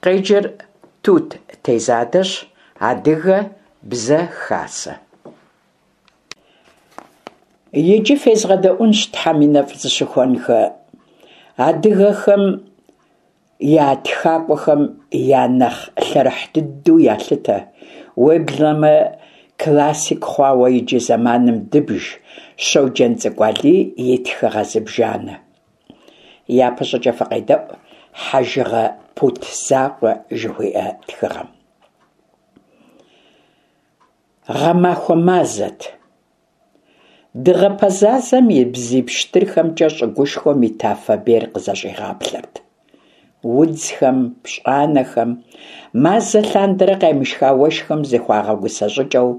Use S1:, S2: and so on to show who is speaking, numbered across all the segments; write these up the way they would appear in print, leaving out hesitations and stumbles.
S1: Къеджэр Тут Тезадэщ, Адыгэ бзэ хасэ. Иджы фезгъэдэӏунщ Тхьэм и нэфӏ зыщыхуэнхэ адыгэхэм я тхакӏуэхэм я нэхъ лъэрыхь дыдэу ялъытэ, уеблэмэ классик хъуауэ иджы зэманым дыбж Щоджэнцӏыкӏу Алий и тхыгъэ зыбжанэ. Япэщӏыкӏэ фыкъедэӏу «Хьэжыгъэ пут закъуэ» жыхуиӏэ тхыгъэм. Гъэмахуэ мазэт. Дыгъэ пэзазэм и бзий пщтырхэмкӏэ щӏыгушхуэм и тафэ бейр къызэщӏигъаплъэрт. Удзхэм, пщӏанэхэм, мазэ лъандэрэ къемышха уэшхым зыхуагъэгусэ щӏыкӏэу,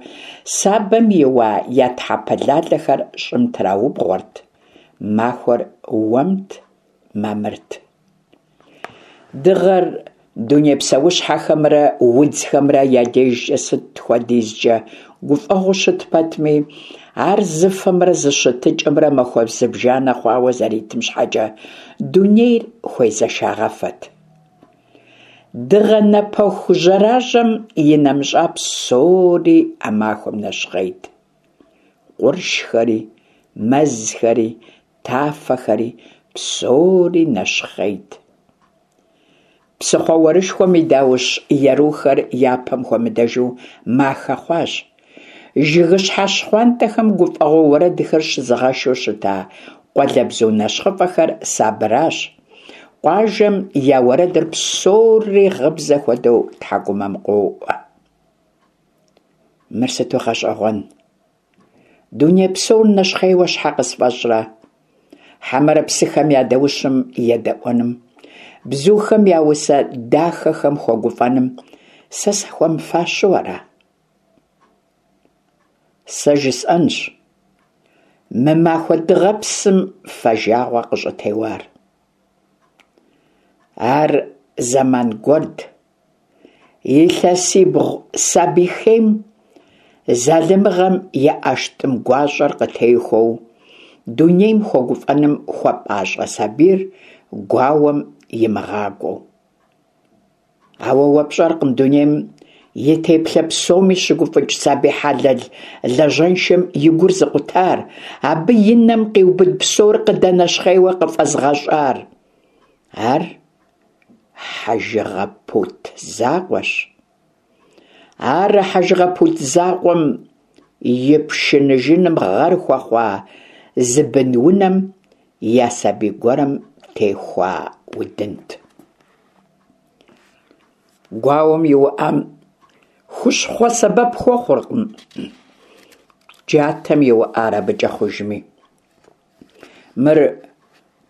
S1: сабэм иуа я тхьэпэ лалэхэр щӏым траубгъуэрт. Махуэр уэмт, мамырт. Дыгъэр дуней псэущхьэхэмрэ удзхэмрэ я дежкӏэ сыт хуэдизкӏэ гуфӏэгъуэу щыт пэтми, ар зы фэмрэ зы щытыкӏэмрэ махуэ зыбжанэ хъуауэ зэритым щхьэкӏэ дунейр хуезэшагъэфэт. Дыгъэ напэху жьэражьэм инэмыщӏа псори а махуэм нэщхъейт. Къуршхэри, мэзхэри, тафэхэри, псори нэщхъейт. Псыхъуэ уэрышхуэм и даущ ерухэр япэм хуэмыдэжу махэ хъуащ. Жыгыщхьэ щхъуантӏэхэм гуфӏэгъуэ уэрэдхэр щызыгъэшу щыта къуалэбзу нэщхъыфӏэхэр сабыращ. Къуажэм я уэрэдыр псори гъыбзэ хуэдэу тхьэкӏумэм къоӏуэ. Мыр сыту гъэщӏэгъуэн! Дуней псор нэщхъейуэ щхьэ къысфӏэщӏрэ? Хьэмэрэ псыхэм я даущым едэӏуэным, бзухэм я усэ дахэхэм хуэгуфӏэным сэ сахуэмыфащэу ара? Сэ жысӏэнщ мы махуэ дыгъэпсым фэжагъуэ къыщӏытеуар. Ар зэман гуэрт. Илъэсибгъу сабий хейм залымыгъэм и ӏэштӏым гуащӏэр къытехуэу, дунейм хуэгуфӏэным хуэпӏащӏэ сабийр гуауэм имыгъакӏуэу. Ауэ уэ пщӏэркъым дунейм и теплъэ псоми щыгуфӏыкӏ сабий хьэлэл лажьэншэм и гур зыкъутар, абы и нэм къиубыд псор къыдэнэщхъейуэ къыфӏэзыгъэщӏар. Ар хьэжыгъэ пут закъуэщ. Ар а хьэжыгъэ пут закъуэм и пшыныжыным гъэр хуэхъуа зы бын-унэм я сабий гуэрым техуа удынт. Гуауэм иуӏам хущхъуэ сэбэп хуэхъуркъым, джатэм иуӏар абыкӏэ хъужми. Мыр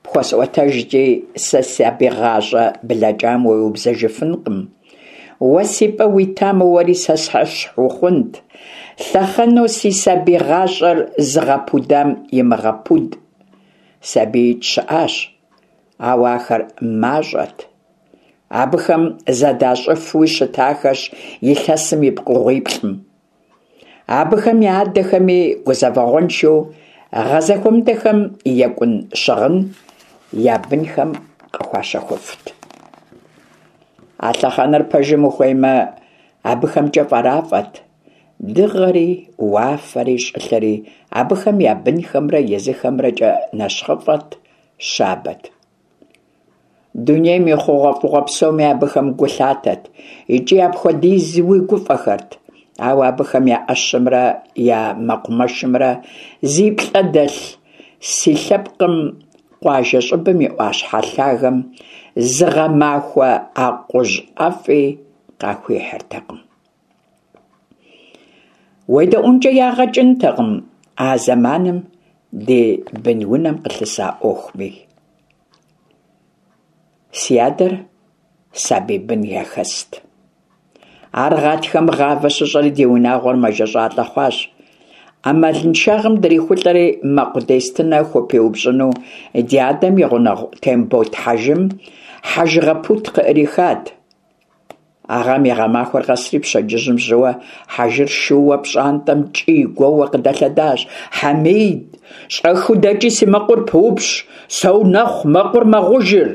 S1: пхуэсӏуэтэжкӏи, сэ сабий гъащӏэ блэкӏам уеубзэжыфынкъым. Уэ си пӏэ уитамэ, уэри сэ сэщхь ухъунт. Лъэхъэнэу си сабий гъащӏэр зыгъэпудам имыгъэпуд сабиикӏ щыӏащ, ауэ ахэр мащӏэт. Абыхэм зэдащӏыфуи щытахэщ илъэсым и пкъыгъуиплӏым. Абыхэм я адэхэми гузэвэгъуэншэу гъэ зэхуэмыдэхэм екӏун щыгъын я бынхэм къыхуащэхуфт. А лъэхъэнэр пэжым ухуеймэ, абыхэмкӏэ фӏэрафӏэт. Дыгъэри, уафэри, щӏылъэри абыхэм я бынхэмрэ езыхэмрэкӏэ нэщхъыфӏэт, щабэт. Дунейм и хъугъуэфӏыгъуэ псоми абыхэм гу лъатэт икӏи апхуэдизуи гуфӏэхэрт. Ауэ абыхэм я ӏэщымрэ я мэкъумэшымрэ зи плӏэ дэлъ си лъэпкъым къуажэ щӏыбым и ӏуащхьэ лъагэм зы гъэмахуэ акъужь ӏэфӏи къахуихьыртэкъым. Уедэӏункӏэ ягъэ кӏынтэкъым а зэманым ди бын-унэм къылъыса ӏуэхуми. Си адэр сабий бын яхэст. Ар гъатхэм гъавэ щыщӏэри ди унагъуэр мэжэщӏалӏэ хъуащ. Ӏэмалыншагъэм дрихулӏэри мэкъу дестынэ хупиупщӏыну ди адэм и гъунэгъу Тембот хьэжым хьэжыгъэ пут къыӏрихат. А гъэм и гъэмахуэр къэсри пщэдджыжьым жьыуэ хьэжыр шууэ пщӏантӏэм кӏий-гуоуэ къыдэлъэдащ. Хьэмид, щӏэхыу дэкӏи си мэкъур пыупщӏ, соунэхъу, мэкъур мэгъужыр.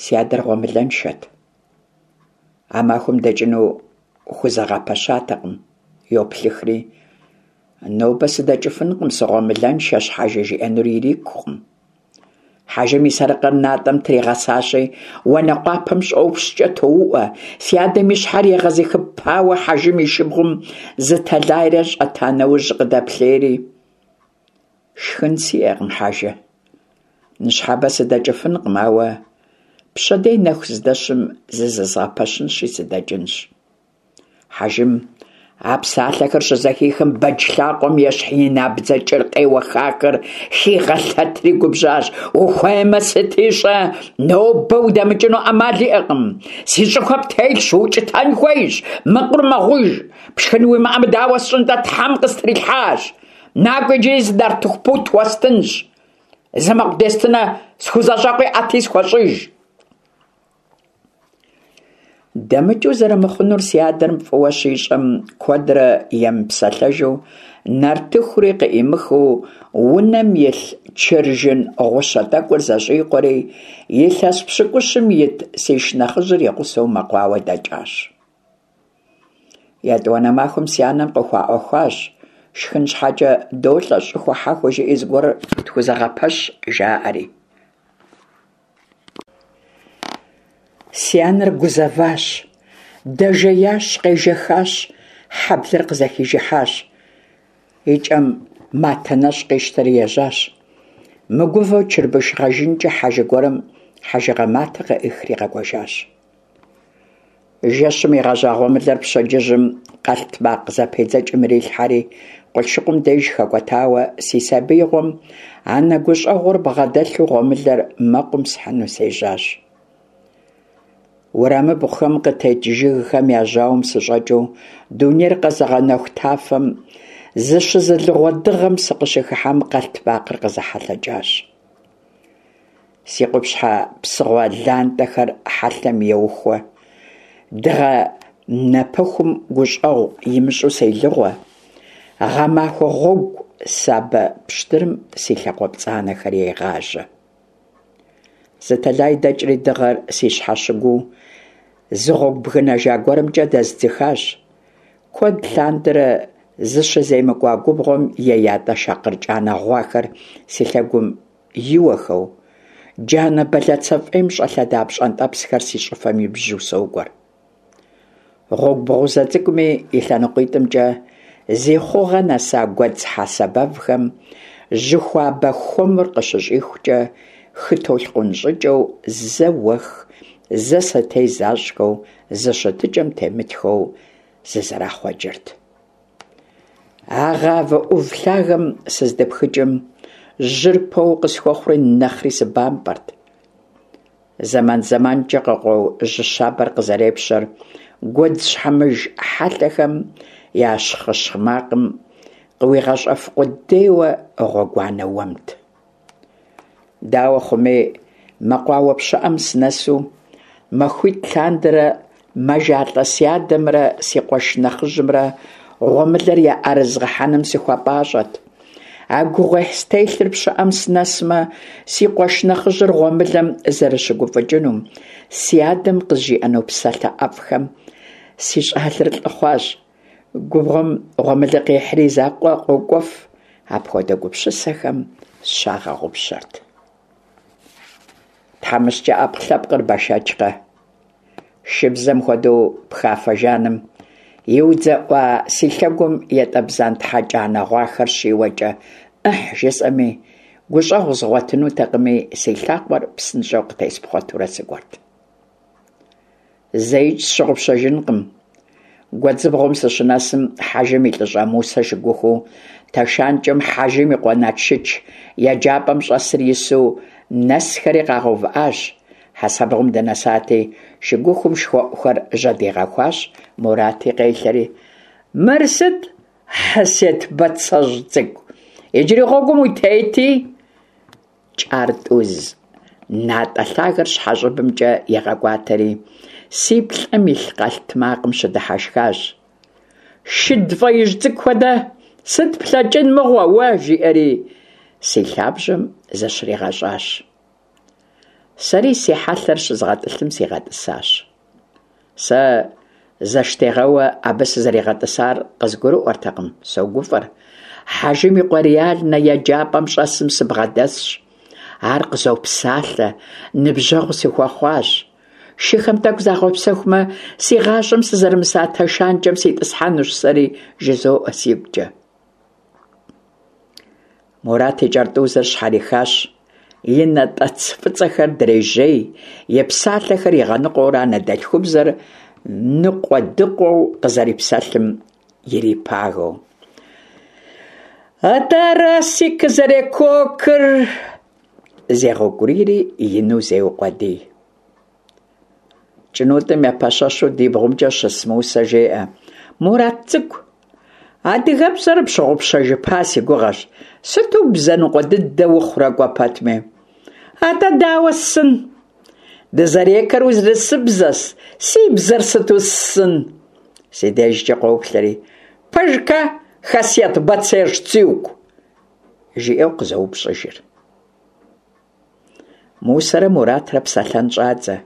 S1: Си адэр гъуэмылэншэт. А махуэм дэкӏыну хузэгъэпэщатэкъым, йоплъыхри, нобэ сыдэкӏыфынкъым, сыгъуэмылэншэщ, хьэжы жиӏэнур ирикукъым. Хьэжым и сарыкъыр натӏэм тригъэсащи, уанэкъуапэм щӏопщкӏэ тоуӏуэ. Си адэм и щхьэр егъэзыхыпауэ хьэжым и шыбгъум зы тэлайрэ щӏэта нэужь къыдэплъейри, Шхын сиӏэкъым, хьэжы. Ныщхьэбэ сыдэкӏыфынкъым, ауэ пщэдей нэху здэщым зызэзгъэпэщынщи сыдэкӏынщ. Хьэжым а псалъэхэр щызэхихым бэдж лъакъуэм ещхь и набдзэ кӏыр къеуэхахэр хигъэлъэтри губжьащ. Ухуеймэ сыти щӏэ, нобэ удэмыкӏыну ӏэмал иӏэкъым. Си щӏыхуэ птелъщ, укӏытэн хуейщ, мэкъур мэгъуж, пшхын уимыӏэм дауэ сщӏын-тӏэ, Тхьэм къыстрилъхьащ. Накӏуэ иджыри зы нартыху пут уэстынщ. Зы мэкъу дестынэ схузэщӏэкъуи ӏэти схуэщӏыж. Дэмыкӏыу зэрымыхъунур си адэм фӏыуэ щищӏэм, куэдрэ емыпсэлъэжу, нартыхури къыӏимыхыу, унэм илъ чыржын гъущэ тӏэкӏур зэщӏикъуэри, илъэс пщыкӏущым ит си шынэхъыжьыр и гъусэу мэкъуауэ дэкӏащ. Етӏуанэ махуэм си анэм къыхуаӏуэхуащ, шхын щхьэкӏэ долӏэ, щӏыхуэ хьэхуэ жыӏи зыгуэр тхузэгъэпэщ, жаӏэри. Си анэр гузэващ, дэжеящ, къежэхащ, хьэблэр къызэхижыхьащ. Икӏэм матэ нэщӏ къищтэри ежьащ. Мыгувэу чырбыш гъэжынкӏэ хьэжы гуэрым хьэжыгъэ матэ къыӏихри къэкӏуэжащ. Жэщым игъэжьа гъуэмылэр пщэдджыжьым къэлътмакъ зэпедзэкӏым ирилъхьэри, къулъшыкъум деж хэкӏуэтауэ си сабиигъуэм анэ гущӏэгъур бгъэдэлъу гъуэмылэр мэкъум схьыну сежьащ. Уэрамыбгъухэм къытет жыгхэм я жьауэм сыщӏэкӏыу дунейр къэзыгъэнэху тафэм зыщызылыгъуэ дыгъэм сыкъыщыхыхьэм къэлътмакъыр къызэхьэлъэкӏащ. Си къупщхьэ псыгъуэ лантӏэхэр хьэлъэм еухуэ, дыгъэ нэпыхум гущӏэгъу имыщӏу селыгъуэ, гъэмахуэ гъуэгу сабэ пщтырым си лъакъуэ пцӏанэхэр егъажьэ. Зы тэлай дэкӏри дыгъэр си щхьэщыгуу зы гъуэгу бгынэжа гуэрымкӏэ дэздзыхащ. Куэд лъандэрэ зыщыземыкӏуа губгъуэм и ятӏэ шакъыр кӏанэ гъуахэр си лъэгум иуэхэу, джанэ бэлацэ фӏейм щӏэлъэда пщӏэнтӏэпсхэр си щӏыфэм ибжьу сокӏуэр. Гъуэгу бгъузэ цӏыкӏуми и лъэныкъуитӏымкӏэ зи хъугъэ нэса гуэдз хьэсэ бэвхэм жьы хуабэ хуэмыр къыщыщӏихукӏэ хы толъкъун щӏыкӏэу зэ уэх, зэ сэтей защӏхэу, зы щытыкӏэм темытхэу зызэрахъуэкӏырт. А гъавэ ӏув лъагэм сыздыпхыкӏым, жьыр пэу къысхуэхъури нэхъри сыбампӏэрт. Зэман-зэманкӏэ къыкъуэу жьы щабэр къызэрепщэр гуэдз щхьэмыж хьэлъэхэм я щхъыщхъ макъым къыуигъэщӏэф къудейуэ гъуэгуанэ уэмт. Дауэ хъуми, мэкъуауэ пщыӏэм сынэсу, махуитӏ лъандэрэ мэжалӏэ си адэмрэ си къуэш нэхъыжьымрэ гъуэмылэр яӏэрызгъэхьэным сыхуэпӏащӏэт. А гугъуехь стелъыр пщыӏэм сынэсмэ, си къуэш нэхъыжьыр гъуэмылэм зэрыщыгуфӏыкӏынум, си адэм къызжиӏэну псалъэ ӏэфӏхэм си щӏалэр лӏы хъуащ. Губгъуэм гъуэмылэ къехьри и закъуэ къокӏуэф, апхуэдэ гупсысэхэм сщагъэгъупщэрт. Тхьэмыщкӏэ ӏэпкълъэпкъыр бэшэчкъэ? Шыбзэм хуэдэу пхафэ жаным иудзэӏуа си лъэгум ятӏэбзантхьэ кӏанэ гъуахэр щиуэкӏэ ӏыхь жысӏэми, гущӏэгъу згъуэтынутэкъыми, си лъакъуэр псынщӏэу къытеспхъуэтурэ сыкӏуэрт. Зэикӏ сщыгъупщэжынкъым. Гуэдзыбгъум сыщынэсым, Хьэжым и лӏыщӏэ Мусэ шыгухуу, Тэшанкӏэм Хьэжым и къуэ Налшыч еджапӏэм щӏэсыр ису нэсхэри къагъэувыӏащ. Хьэсэбгъум дынэсати, шыгухум шхуэӏухэр жьэдигъэхуащ, Мурати къелъэри. Мыр сыт, Хьысет бацэжь цӏыкӏу, иджыри гъуэгум утети? Кӏартӏуз натӏэ лъагэр щхьэщӏыбымкӏэ игъэкӏуатэри, си плӏэм илъ къэлътмакъым щыдыхьэшхащ. Шыд фӏеижь цӏыкӏу хуэдэ, сыт плъэкӏын мыгъуэ уэ, жиӏэри си лъабжьэм зыщригъэщӏащ. Сэри си хьэлъэр щызгъэтӏылъым сигъэтӏысащ. Сэ зэштегъэуэ абы сызэригъэтӏысар къызгурыӏуэртэкъым, согуфӏэр. Хьэжым и къуэ реальнэ еджапӏэм щӏэсым сыбгъэдэсщ. Ар къызопсалъэ, ныбжьэгъу сыхуэхъуащ. Шыхэм тӏэкӏу загъэпсэхумэ, си гъащӏэм сызэрымыса тэшанкӏэм ситӏысхьэнущ сэри, жызоӏэ сигукӏэ. Мурат и кӏэртӏузыр щхьэрихащ, и натӏэц фӏыцӏэхэр дрежьей, и псалъэхэр игъэныкъуэурэ анэдэлъхубзэр ныкъуэдыкъуэу къызэрипсэлъым ирипагэу. Атӏэ ара сыкъызэрекокыр! Зегъэукӏурийри ину зеукъуэдий. Кӏынутӏым епэщэщу ди бгъумкӏэ щыс Мусэ жеӏэ, Мурат цӏыкӏу, адыгэбзэр пщыгъупщэжыпа си гугъэщ, сыту бзэ ныкъуэ дыдэ ухъурэ кӏуэ пэтми? Атӏэ дауэ ссын? Дызэрекэр урысыбзэщ, си бзэр сыту ссын? Си дежкӏэ къоплъэри, Пэжкэ, Хасет Бацэжь цӏыкӏу? жиӏэу къызоупщӏыжыр. Мусэрэ Муратрэ псэлъэн щӏадзэ.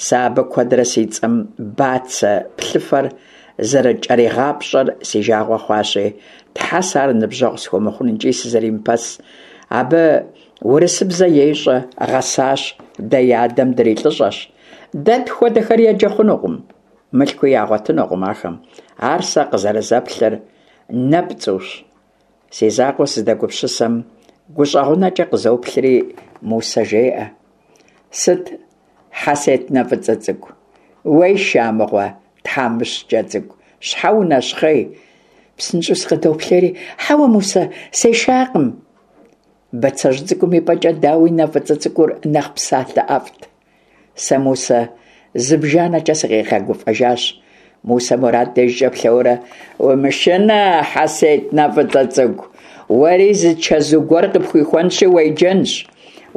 S1: Сэ абы куэдрэ си цӏэм бацэ плъыфэр зэрыкӏэригъапщӏэр си жагъуэ хъуащи, тхьэ, сэ ар ныбжьэгъу схуэмыхъун икӏи сызэримыпэс. Абы урысыбзэ ещӏэ, гъэсащ, дэ и адэм дрилӏыщӏэщ. Дэ тхуэдэхэр еджэ хъунукъым, мылъкуи ягъуэтынукъым ахэм. Ар сэ къызэрызэплъыр нэпцӏущ. Си закъуэ сыздэгупсысэм, гущӏэгъунэкӏэ къызоплъри, Мусэ жеӏэ, Сыт, Хьэсет нэ фӏыцӏэ цӏыкӏу, уеша мыгъуэ, тхьэмыщкӏэ цӏыкӏу, щхьэ унэщхъей? Псынщӏэу сыкъыдоплъейри, Хьэуэ, Мусэ, сешакъым. Бацэжь цӏыкӏум и пӏэкӏэ дауи нэ фӏыцӏэ цӏыкӏур нэхъ псалъэ ӏэфӏт. Сэ Мусэ зыбжанэкӏэ сыкъигъэгуфӏэжащ. Мусэ Мурат дежкӏэ плъэурэ, Умышынэ, Хьэсет нэ фӏыцӏэ цӏыкӏу, уэри зы чэзу гуэр къыпхуихуэнщи уеджэнщ.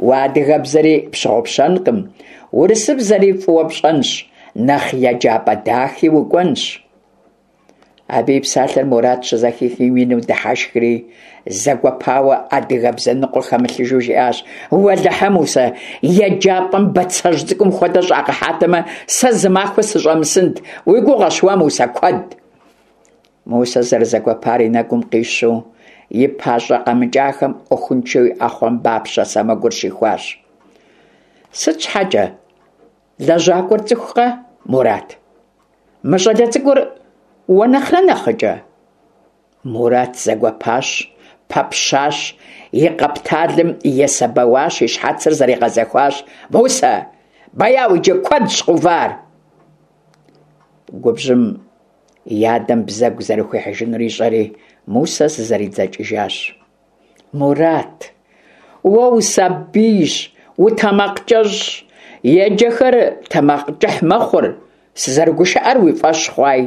S1: Уэ адыгэбзэри пщыгъупщэнкъым, урысыбзэри фӏыуэ пщӏэнщ, нэхъ еджапӏэ дахи укӏуэнщ. Абы и псалъэр Мурат щызэхихым ину дыхьэшхри, зэгуэпауэ адыгэбзэ ныкъуэ хэмылъыжу жиӏащ, Уэлэхьэ, Мусэ, еджапӏэм бацэжь цӏыкӏум хуэдэ щӏагъэхьатэмэ, сэ зы махуэ сыщӏэмысынт, уи гугъэщ уэ, Мусэ, куэд. Мусэ зэрызэгуэпар и нэгум къищу, и пащӏэ къэмыкӏахэм ӏуэхуншэу и ӏэхъуамбапщэ сэмэгур щихуащ. Сыт щхьэкӏэ? Лэжьакӏуэр цӏыхукъэ, Мурат? Мы щӏалэ цӏыкӏур уэ нэхърэ нэхъыкӏэ? Мурат зэгуэпащ, пэпщащ, и къэпталым есэбэуащ, и щхьэцыр зэригъэзэхуащ. Мусэ, бэяу иджы, куэдщ къувар! Губжьым и адэм бзэгу зэрыхуихьыжынур ищӏэри, Мусэ зызэридзэкӏыжащ. Мурат, уэ усабийщ, утэмакъкӏэщӏщ, еджэхэр тэмакъкӏыхь мэхъур, сызэрыгушыӏэр уи фӏэщ хъуай.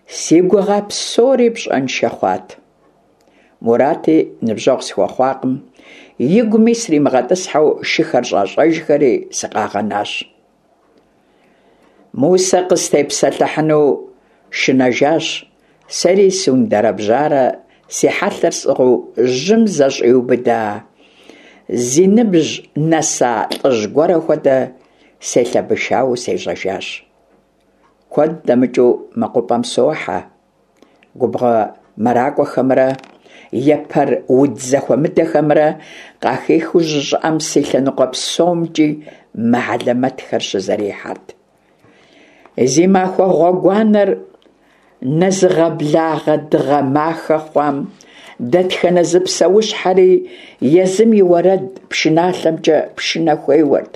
S1: Си гугъа псори пщӏэншэ хъуат. Мурати ныбжьэгъу схуэхъуакъым, игуми сримыгъэтӏысхьэу шыхэр щӏащӏэжхэри сыкъагъэнащ. Мусэ къыстепсэлъыхьыну шынэжащ, сэри сундэрэбжьарэ си хьэлъэр сӏыгъыу жьым зэщӏиубыда, зи ныбжь нэса лӏыжь гуэрэ хуэдэ селъэбышауэу сежьэжащ. Куэд дэмыкӏыу мэкъупӏэм сохьэ. Губгъуэ мэракӏуэхэмрэ епэр удз зэхуэмыдэхэмрэ къахихыу жьы щӏыӏэм си лъэныкъуэ псомкӏи мэ хьэлэмэтхэр щызэрихьэрт. Зи махуэ гъуэгуанэр нэзыгъэблагъэ дыгъэ махэ хъуам дэтхэнэ зы псэущхьэри езым и уэрэд пшыналъэмкӏэ пшынэ хуеуэрт.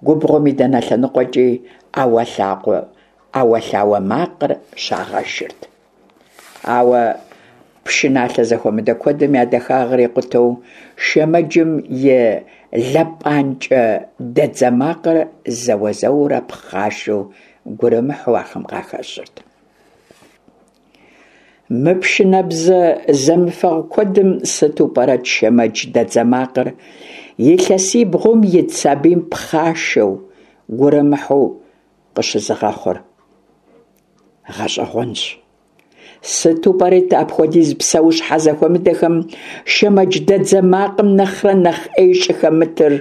S1: Губгъуэм и дэнэ лъэныкъуэкӏи ӏэуэлъакъуэ ӏэуэлъауэ макъыр щагъэшырт. Ауэ пшыналъэ зэхуэмыдэ куэдым я дахагъэр икъутэу шэмэджым и лэпӏанкӏэ дэдзэ макъыр зэуэ-зэуэурэ пхъашэу гурымыхьу ахэм къахэщырт. Мы пшынэбзэ зэмыфэгъу куэдым сыту пӏэрэт шэмэдж дэдзэ макъыр илъэсибгъум ит сабийм пхъашэу, гурымыхьу къыщызыгъэхъур? Гъэщӏэгъуэнщ. Сыту пӏэрэт апхуэдиз псэущхьэ зэхуэмыдэхэм шэмэдждэдзэ макъым нэхърэ нэхъ ӏей щӏыхэмытыр?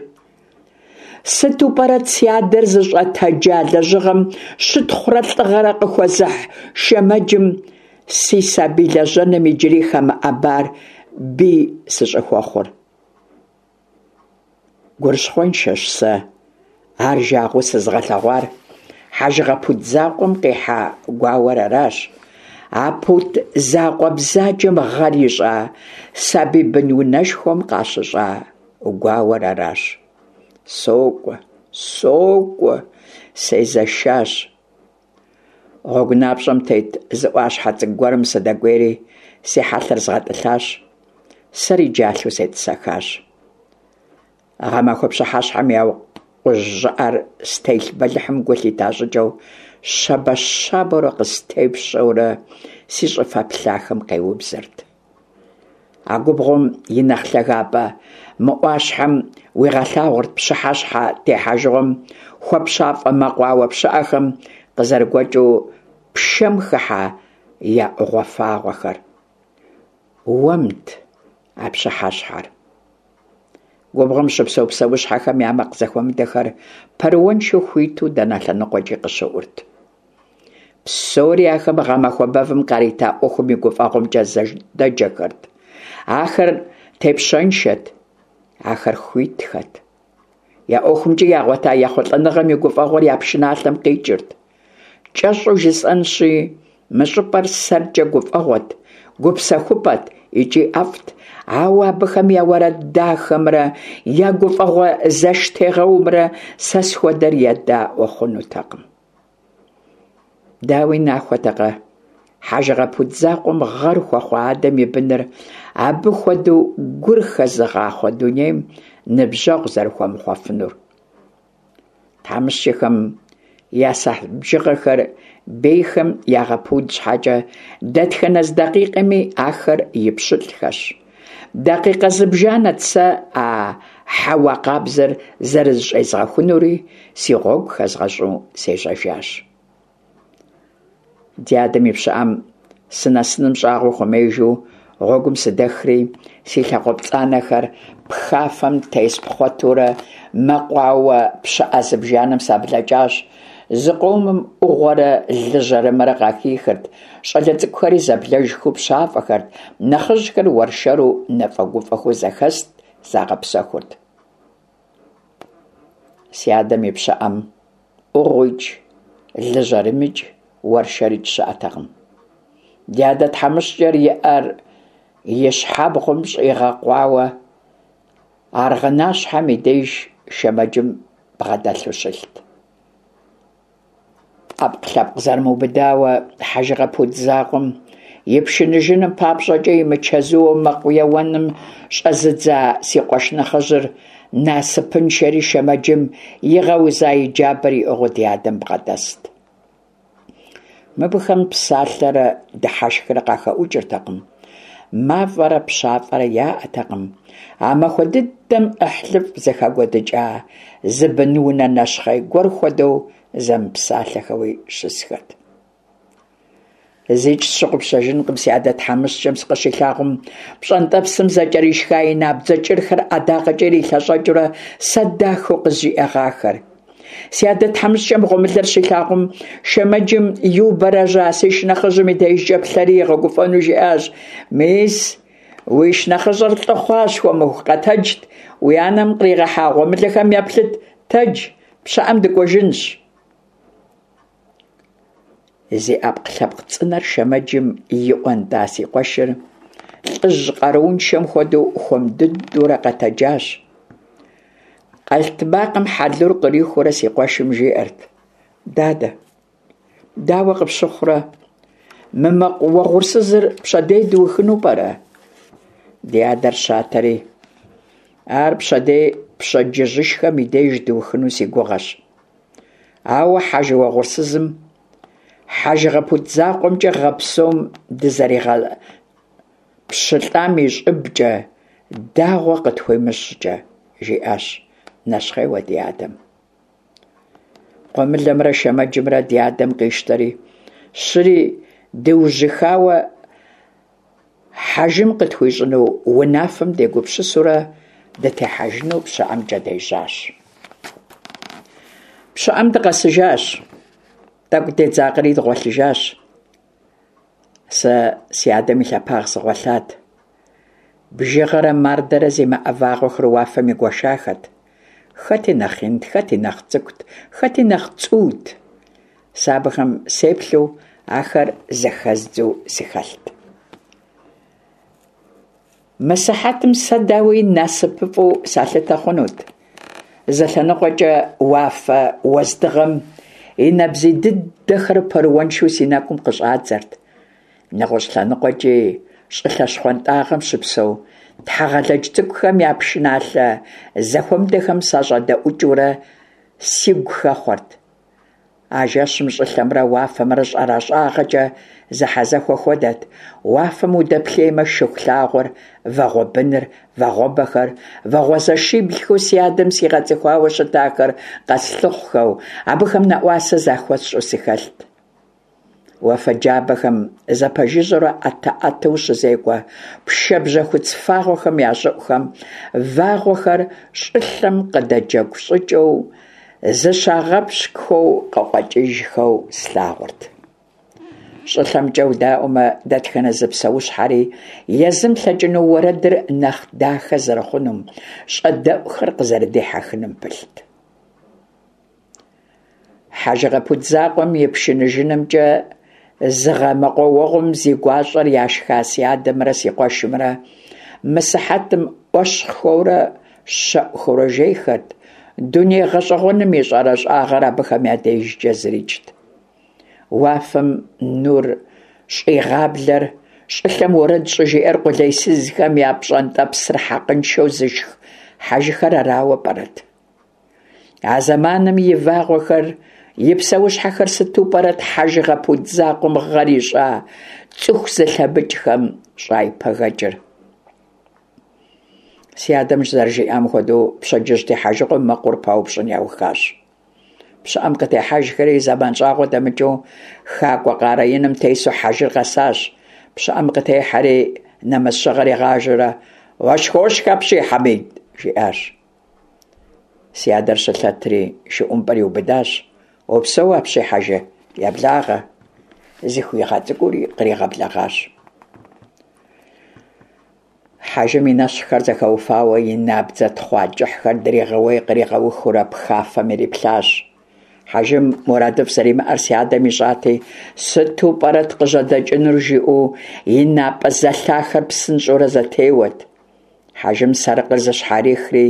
S1: Сыту пӏэрэт си адэр зыщӏэтэджа лэжьыгъэм щытхъурэ лӏыгъэрэ къыхуэзыхь шэмэджым си сабий лэжьэным иджыри хэмыӏэбар бий сыщӏыхуэхъур? Гурыщхъуэншэщ сэ ар жагъуэу сызыгъэлъэгъуар хьэжыгъэ пут закъуэм къихьа гуауэр аращ. А пут закъуэ бзаджэм гъэр ищӏа сабий бынунэшхуэм къащыщӏа гуауэр аращ. Сокӏуэ, сокӏуэ, сезэшащ. Гъуэгу напщӏэм тет зы ӏуащхьэ цӏыкӏу гуэрым сыдэкӏуейри, си хьэлъэр згъэтӏылъащ, сэри джалъэу сетӏысэхащ. Гъэмахуэ пщыхьэщхьэм и акъужь щӏыӏэр стелъ бэлыхьым гу лъита щӏыкӏэу, щабэ-щабэурэ къыстепщӏэурэ си щӏыфэ плъахэм къеубзэрт. А губгъуэм и нэхъ лъагапӏэ мы ӏуащхьэм уигъэлъагъурт пщыхьэщхьэ техьэжыгъуэм хуэпщафӏэ мэкъуауэ пщыӏэхэм къызэрыгуэкӏыу пшэм хыхьа я ӏугъуэ фагъуэхэр. Уэмт а пщыхьэщхьэр. Губгъуэм щыпсэу псэущхьэхэм я макъ зэхуэмыдэхэр пэрыуэншэу хуиту дэнэ лъэныкъуэкӏи къыщыӏурт. Псори ахэм гъэмахуэ бэвым къарита ӏуэхум и гуфӏэгъуэмкӏэ зэдэджэхэрт. Ахэр тепщэншэт, ахэр хуитхэт. Я ӏуэхумкӏи ягъуэта ехъулӏэныгъэм и гуфӏэгъуэр я пшыналъэм къикӏырт. Кӏэщӏу жысӏэнщи, мы щӏыпӏэр сэркӏэ гуфӏэгъуэт, гупсэхупӏэт икӏи ӏэфӏт, ауэ абыхэм я уэрэд дахэмрэ я гуфӏэгъуэ зэштегъэумрэ сэ схуэдэр едаӏуэ хъунутэкъым. Дауи, нахуэтэкъэ, хьэжыгъэ пут закъуэм гъэр хуэхъуа адэм и быныр абы хуэдэу гур хэзыгъахъуэ дунейм ныбжьэгъу зэрыхуэмыхъуэфынур. Тхьэмыщкӏэхэм я сыхьэт бжыгъэхэр бейхэм ягъэпуд щхьэкӏэ, дэтхэнэ зы дакъикъэми ахэр и пщылӏхэщ. Дакъикъэ зыбжанэт сэ а хьэуа къабзэр зэрызыщӏезгъэхунури, си гъуэгу хэзгъэщӏу сежьэжащ. Ди адэм и пщыӏэм сынэсыным щӏагъуэ хуэмеижу гъуэгум сыдэхри, си лъакъуэ пцӏанэхэр пхафэм теспхъуэтурэ мэкъуауэ пщыӏэ зыбжанэм саблэкӏащ. Зыкъомым ӏугъуэрэ лы жьэрымэрэ къахихырт, щӏалэ цӏыкӏухэри зэблэжхэу пщафӏэхэрт, нэхъыжьхэр уэршэру нэфӏэгуфӏэхэу зэхэст, загъэпсэхурт. Си адэм и пщыӏэм ӏугъуикӏ, лы жьэрымикӏ, уэршэрикӏ щыӏэтэкъым. Ди адэ тхьэмыщкӏэр и ӏэр и щхьэбгъум щӏигъэкъуауэ аргъынащхьэм и деж шэмэджым бгъэдэлъу щылът. ӏэпкълъэпкъ зэрымыубыдауэ хьэжыгъэ пут закъуэм ипшыныжыным папщӏэкӏэ имычэзууэ мэкъу еуэным щӏэзыдза си къуэш нэхъыжьыр насыпыншэри шэмэджым игъэуза и джабэр иӏыгъыу ди адэм бгъэдэст. Мыбыхэм псалъэрэ дыхьэшхрэ къахэӏукӏыртэкъым, мафӏэрэ пщафӏэрэ яӏэтэкъым. А махуэ дыдэм ӏыхьлыфӏ зыхэкӏуэдыкӏа зы бынунэ нэщхъей гуэр хуэдэу зэмыпсалъэхэуи щысхэт. Зикӏ сщыгъупщэжынкъым си адэ тхьэмыщкӏэм сыкъыщилъагъум, пщӏэнтӏэпсым зэкӏэришха и набдзэ кӏырхэр ӏэдакъэкӏэ ирилъэщӏэкӏыурэ сэ дахэу къызжиӏэгъахэр. Си адэ тхьэмыщкӏэм гъуэмылэр щилъагъум, шэмэджым иубэрэжьа си шынэхъыжьым и дежкӏэ плъэри игъэгуфӏэну жиӏащ: Мис, уи шынэхъыщӏэр лӏы хъуащ, хуэмыху, къэтэджт, уи анэм къригъэхьа гъуэмылэхэм еплъыт, тэдж, пщыӏэм дыкӏуэжынщ. Зи ӏэпкълъэпкъ цӏынэр шэмэджым иӏуэнтӏа си къуэшыр лӏыжь къарууншэм хуэдэу хуэм дыдэурэ къэтэджащ. Къэлътмакъым хьэлур кърихыурэ си къуэшым жиӏэрт: Дадэ, дауэ къыпщыхъурэ, мы мэкъу уэгъурсызыр пщэдей дыухыну пӏэрэ? Ди адэр щатэри, ар пщэдей пщэдджыжьышхэм и деж дыухыну си гугъэщ. Ауэ хьэжы уэгъурсызым хьэжыгъэ пут закъуэмкӏэ гъэ псом дызэригъэпщылӏам и щӏыбкӏэ дагъуэ къытхуимыщӏкӏэ, жиӏащ нэщхъейуэ ди адэм. Гъуэмылэмрэ шэмэджымрэ ди адэм къищтэри, щыри. Дыужьыхауэ хьэжым къытхуищӏыну унафэм дегупсысурэ дытехьэжыну пщыӏэмкӏэ дежьащ. Пщыӏэм дыкъэсыжащ, тӏэкӏу дедзакъэри дгъуэлъыжащ. Сэ си адэм и лъэпагъ сыгъуэлъат. Бжыгъэрэ мардэрэ зимыӏэ вагъуэхэр уафэм игуэшахэт. Хэти нэхъ инт, хэти нэхъ цӏыкӏут, хэти нэхъ цӏуут. Сэ абыхэм сеплъу, ахэр зэхэздзу сыхэлът. Мы сыхьэтым сэ, дауи, насыпыфӏэу салъытэ хъунут. Зы лъэныкъуэкӏэ уафэ уэздыгъэм и нэбзий дыдэхэр пэрыуэншэу си нэкӏум къыщӏадзэрт. Нэгъуэщӏ лъэныкъуэкӏи щӏылъэ щхъуантӏагъэм щыпсэу тхьэгъэлэдж цӏыкӏухэм я пшыналъэ зэхуэмыдэхэм сащӏэдэӏукӏыурэ сигу хэхъуэрт. А жэщым щӏылъэмрэ уафэмрэ щӏэращӏагъэкӏэ зэхьэзэхуэ хуэдэт. Уафэм удэплъеймэ, Шыхулъагъуэр, Вагъуэбыныр, Вагъуэбэхэр, Вагъуэзэшиблхэу си адэм сигъэцӏыхуауэ щытахэр къэслъыхъухэу, абыхэм нэӏуасэ захуэсщӏу сыхэлът. Уафэ джабэхэм зэпэжыжьэурэ ӏэтэ-ӏэтэу щызекӏуэ пшэ бжьэхуц фагъуэхэм я щӏыӏухэм вагъуэхэр щӏылъэм къыдэджэгу щӏыкӏэу зыщагъэпщкӏухэу къыкъуэкӏыжхэу слъагъурт. Щӏылъэмкӏэ удаӏуэмэ, дэтхэнэ зы псэущхьэри езым лъэкӏыну уэрэдыр нэхъ дахэ зэрыхъунум, щӏэдэӏухэр къызэрыдихьэхыным пылът. Хьэжыгъэ пут закъуэм и пшыныжынымкӏэ зы гъэ мэкъуауэгъуэм зи гуащӏэр яшха си адэмрэ си къуэшымрэ мы сыхьэтым ӏуэщхъухэурэ щэӏухэурэ жейхэрт, дуней гъэщӏэгъуэным и щӏэрэщӏагъэр абыхэм я дежкӏэ зырикӏт. Уафэм нур щӏигъаблэр, щӏылъэм уэрэд щӏыжиӏэр къулейсызхэм я пщӏэнтӏэпсыр хьэкъыншэу зышх хьэжыхэр арауэ пӏэрэт? А зэманым и вагъуэхэр, и псэущхьэхэр сыту пӏэрэт хьэжыгъэ пут закъуэм гъэр ищӏа цӏыху зылъэмыкӏхэм щӏайпэгэкӏыр? Си адэм зэрыжиӏам хуэдэу, пщэдджыжь техьэжыгъуэм мэкъур паупщӏын яухащ. Пщыӏэм къытехьэжхэри, зэман щӏагъуэ дэмыкӏыу, хакӏуэ къарэ иным тесу хьэжыр къэсащ. Пщыӏэм къытехьэри, нэмэз щыгъэр игъажэурэ, Уэшхуошх апщий, Хьэмид! жиӏащ. Си адэр щылъэтри, шы ӏумпӏэр иубыдащ. Упсэу апщий, хьэжы, еблагъэ! Зыхуигъэцӏыкӏури къригъэблэгъащ. Хьэжым и нэщхъхэр зэхэуфауэ, и набдзэ тхъуа кӏыхьхэр дригъэуей-къригъэухыурэ пхафэм ириплъащ. Хьэжым мурадыфӏ зэримыӏэр си адэм ищӏати, сыту пӏэрэт къыжьэдэкӏынур жиӏэу и напӏэ зэлъахэр псынщӏэурэ зэтеуэт. Хьэжым сарыкъыр зыщхьэрихри,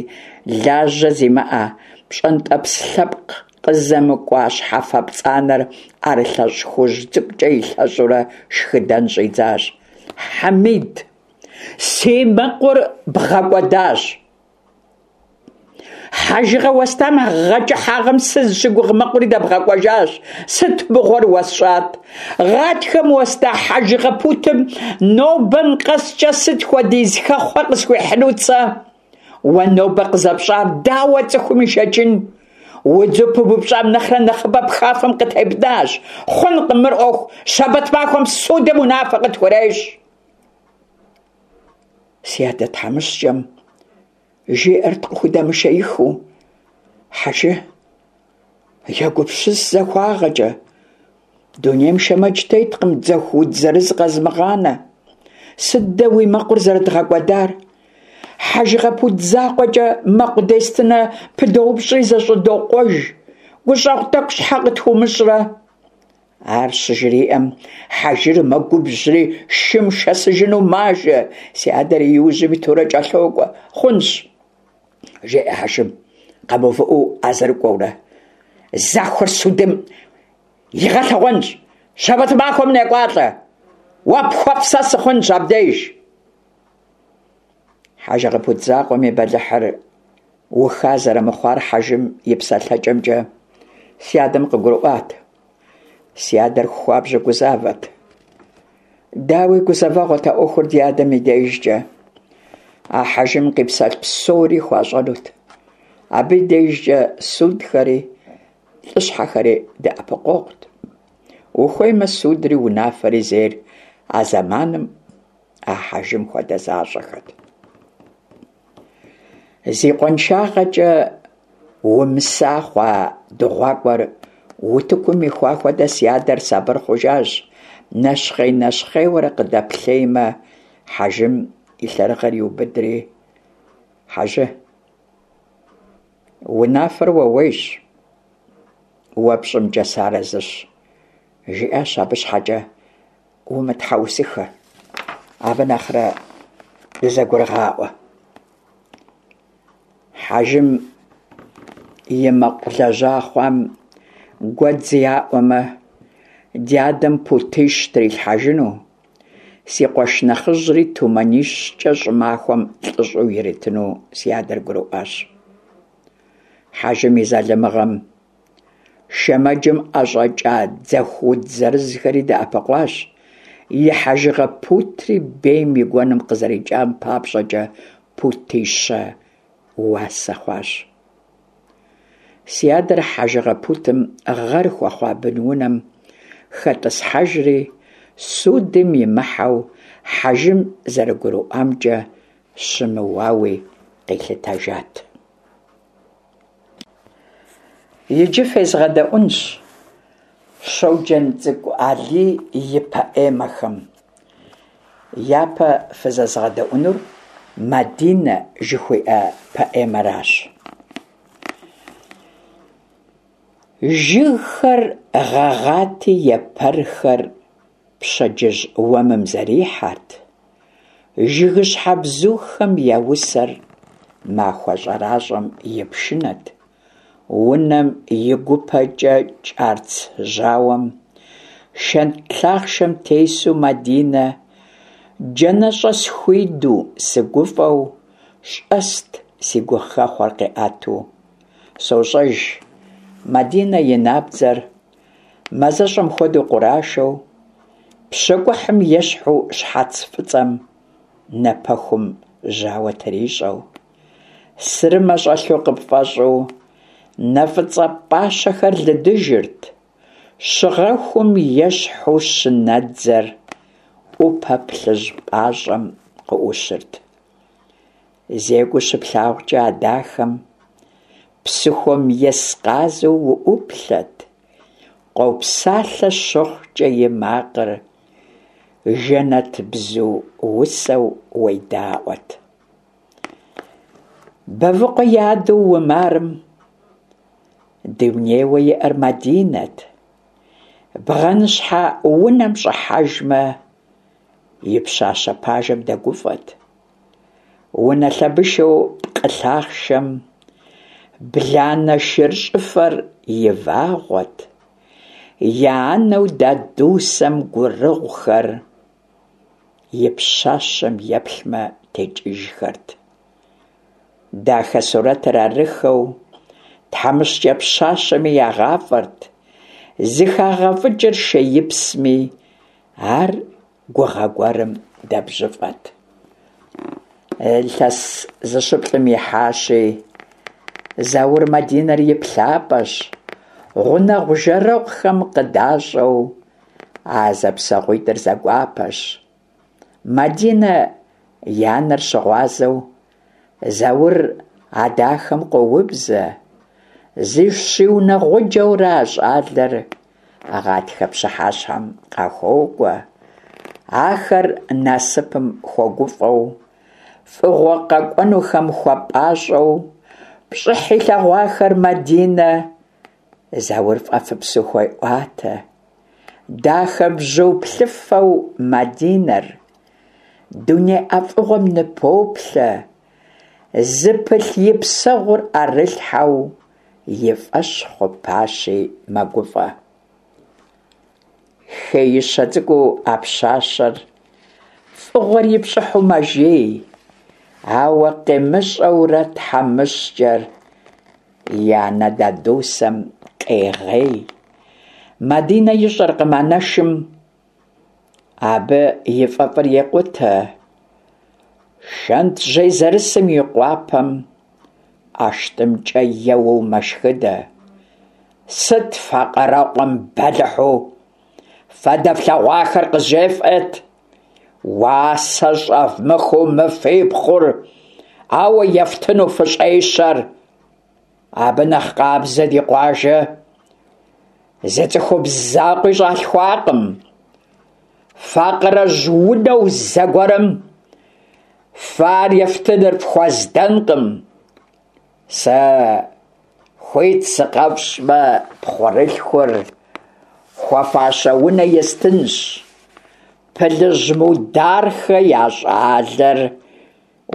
S1: лажьэ зимыӏэ, пщӏэнтӏэпс лъэпкъ къызэмыкӏуа щхьэфэ пцӏанэр ӏэрылъэщӏ хужь цӏыкӏукӏэ илъэщӏурэ шхыдэн щӏидзащ. Хьэмид, си мэкъур бгъэкӏуэдащ. Хьэжыгъэ уэстам гъэ кӏыхьагъым сызыщыгугъ мэкъури дэбгъэкӏуэжащ. Сыт мыгъуэр уэсщӏат? Гъатхэм уэста хьэжыгъэ путым нобэм къэскӏэ сыт хуэдиз хэхъуэ къысхуихьынут сэ? Уэ нобэ къызэпщӏар дауэ цӏыхум ишэчын? Удзу пыбупщӏам нэхърэ нэхъыбэ пхафэм къытебнащ. Хъункъым мыр ӏуэху, щэбэт махуэм судым унафэ къытхурещӏ. Си адэ тхьэмыщкӏэм жиӏэрт къыхудэмышеихыу, Хьэжы, егупсыс захуагъэкӏэ, дунейм шэмэдж теткъым дзэху удз зырыз къэзымыгъанэ. Сыт дэ уи мэкъур зэрыдгъэкӏуэдар? Хьэжыгъэ пут закъуэкӏэ мэкъу дестынэ пыдоупщӏри зэщӏыдокъуэж. Гущӏэгъу тӏэкӏу щхьэ къытхуумыщӏрэ? Ар щыжриӏэм, хьэжыр мэгубжьри шым шэсыжыну мажэ, си адэр и ужьым итурэ кӏэлъокӏуэ. Хъунщ, жеӏэ хьэжым, къэмыувыӏэу а зэрыкӏуэурэ. Захуэр судым игъэлъэгъуэнщ, щэбэт махуэм некӏуалӏэ, уэ пхуэфӏ сэ сыхъунщ абдеж. Хьэжыгъэ пут закъуэм и бэлыхьыр уха зэрымыхъуар хьэжым и псэлъэкӏэмкӏэ си адэм къыгурыӏуат. Си адэр хуабжьу гузавэт. Дауи гузэвэгъуэт а ӏуэхур ди адэм и дежкӏэ. А хьэжым къипсэлъ псори хуащӏэнут. Абы и дежкӏэ судхэри лӏыщхьэхэри дэӏэпыкъуэгъут. Ухуеймэ, судри унафэри зейр а зэманым а хьэжым хуэдэ защӏэхэт. Зи къуаншагъэкӏэ умыса хъуа дыгъуакӏуэр утыкум ихуа хуэдэ си адэр сабыр хъужащ, нэщхъей-нэщхъейуэрэ къыдэплъеймэ, хьэжым и лъэрыгъыр иубыдри, Хьэжы, унафэр уэуейщ, уэ пщӏымкӏэ сыарэзыщ, жиӏащ абы щхьэкӏэ умытхьэусыхэ, абы нэхърэ дызэгурыгъаӏуэ. Хьэжым и мэкъу лэжьа хъуам гуэдз яӏуэмэ, ди адэм путищ трилъхьэжыну, си къуэш нэхъыжьри тумэнищкӏэ щӏымахуэм лӏыщӏэу иритыну си адэр гурыӏуащ. Хьэжым и залымыгъэм шэмэджым ӏэщӏэкӏа дзэху уд зырызхэри дэӏэпыкъуащ, и хьэжыгъэ путри бейм и гуэным къызэрикӏам папщӏэкӏэ путищэ уасэ хъуащ. Си адэр хьэжыгъэ путым гъэр хуэхъуа бынунэм хэтӏысхьэжри, судым имыхьэу хьэжым зэрыгурыӏуамкӏэ щымыуауи къилъытэжат. Иджы фезгъэдэӏунщ Щоджэнцӏыкӏу Алий и поэмэхэм. Япэ фызэзгъэдэӏунур Мадинэ жыхуиӏэ поэмэращ. Жыгхэр гъэгъати, епэрхэр пщэдджыжь уэмым зэрихьэрт, жыгыщхьэ бзухэм я усэр махуэ щӏэращӏэм и пшынэт, унэм и гупэкӏэ кӏарц жьауэм, шэнт лъахъшэм тесу Мадинэ джанэщӏэ схуиду сыгуфӏэу щӏэст си гухэхъуэр къиӏэту. Сощӏэж, Мадинэ и набдзэр мазэщӏэм хуэдэу къурашэу, пщэкӏухьым ещхьу щхьэц фӏыцӏэм напэхум жьауэ трищӏэу, сырымэ щӏэлъу къыпфӏэщӏу, нэ фӏыцӏэ пӏащэхэр лыдыжырт, щыгъэхум ещхьу щынэдзэр ӏупэ плъыжь пӏащӏэм къыӏущырт. Зекӏуэу щыплъагъукӏэ а дахэм псыхуэм ес къазу уӏуплъэт, къопсалъэ щыхъукӏэ и макъыр жэнэтбзу усэу уедаӏуэт. Бэвыкъуэ и адэу Умарым дунейуэ иӏэр Мадинэт. Бгъэныщхьэ унэм щӏыхьэжмэ, и пщащэ пажэм дэгуфӏэт. Унэ лъэбышэу пкъы лъахъшэм бланэ шыр щӏыфэр и вагъуэт, я анэу Дадусэм гурыгъухэр и пщащэм еплъмэ текӏыжхэрт. Дахэ сурэтыр арыххэу тхьэмыщкӏэ пщащэми ягъафӏэрт, зыхагъэфӏыкӏыр шеипсми, ар гугъэ гуэрым дэбжьыфӏэт. Илъэс зыщыплӏым ихьащи, Заур Мадинэр и плъапӏэщ, гъунэгъу-жэрэгъухэм къыдащӏэу а зэпсэгъуитӏыр зэгуапэщ. Мадинэ и анэр щыгъуазэу Заур а дахэм къоубзэ, зыщиунэгъуджэурэ а щӏалэр гъатхэ пщыхьэщхьэм къахуокӏуэ. Ахэр насыпым хуэгуфӏэу, фӏыгъуэ къэкӏуэнухэм хуэпӏащӏэу, пщӏыхь илъэгъуахэр Мадинэ Заур фӏэфӏыпсу хуеӏуатэ. Дахэ бзу плъыфэу Мадинэр дуней ӏэфӏыгъуэм ныпоплъэ, зыпылъ и псэгъур ӏэрылъхьэу и фӏэщ хъупащи мэгуфӏэ. Хеищэ цӏыкӏуу а пщащэр фӏыгъуэр и пщӏыхьу мэжей, ауэ къимыщӏэурэ тхьэмыщкӏэр и анэ Дадусэм къегъей. Мадинэ ищӏэркъым анэшым абы и фӏэфӏыр екъутэ. Шэнтжьей зэрысым и къуапэм ӏэштӏымкӏэ еуэу мэшхыдэ. Сыт факъырэкъуэм бэлыхьу? Фэ дэфлъэгъуахэр къызжефӏэт. Уасэ щӏэвмыхыу мы фи пхъур ауэ ефтыну фыщӏещэр. Абы нэхъ къабзэ ди къуажэ зы цӏыхубз закъуи щӏалъхуакъым. Факъырэжь унэу зэгуэрым фэ ар ефтыныр фхуэздэнкъым. Сэ хуит сыкъэфщӏмэ, пхъурылъхур хуэфащэ унэ естынщ. Пылыжь Мудархэ я щӏалэр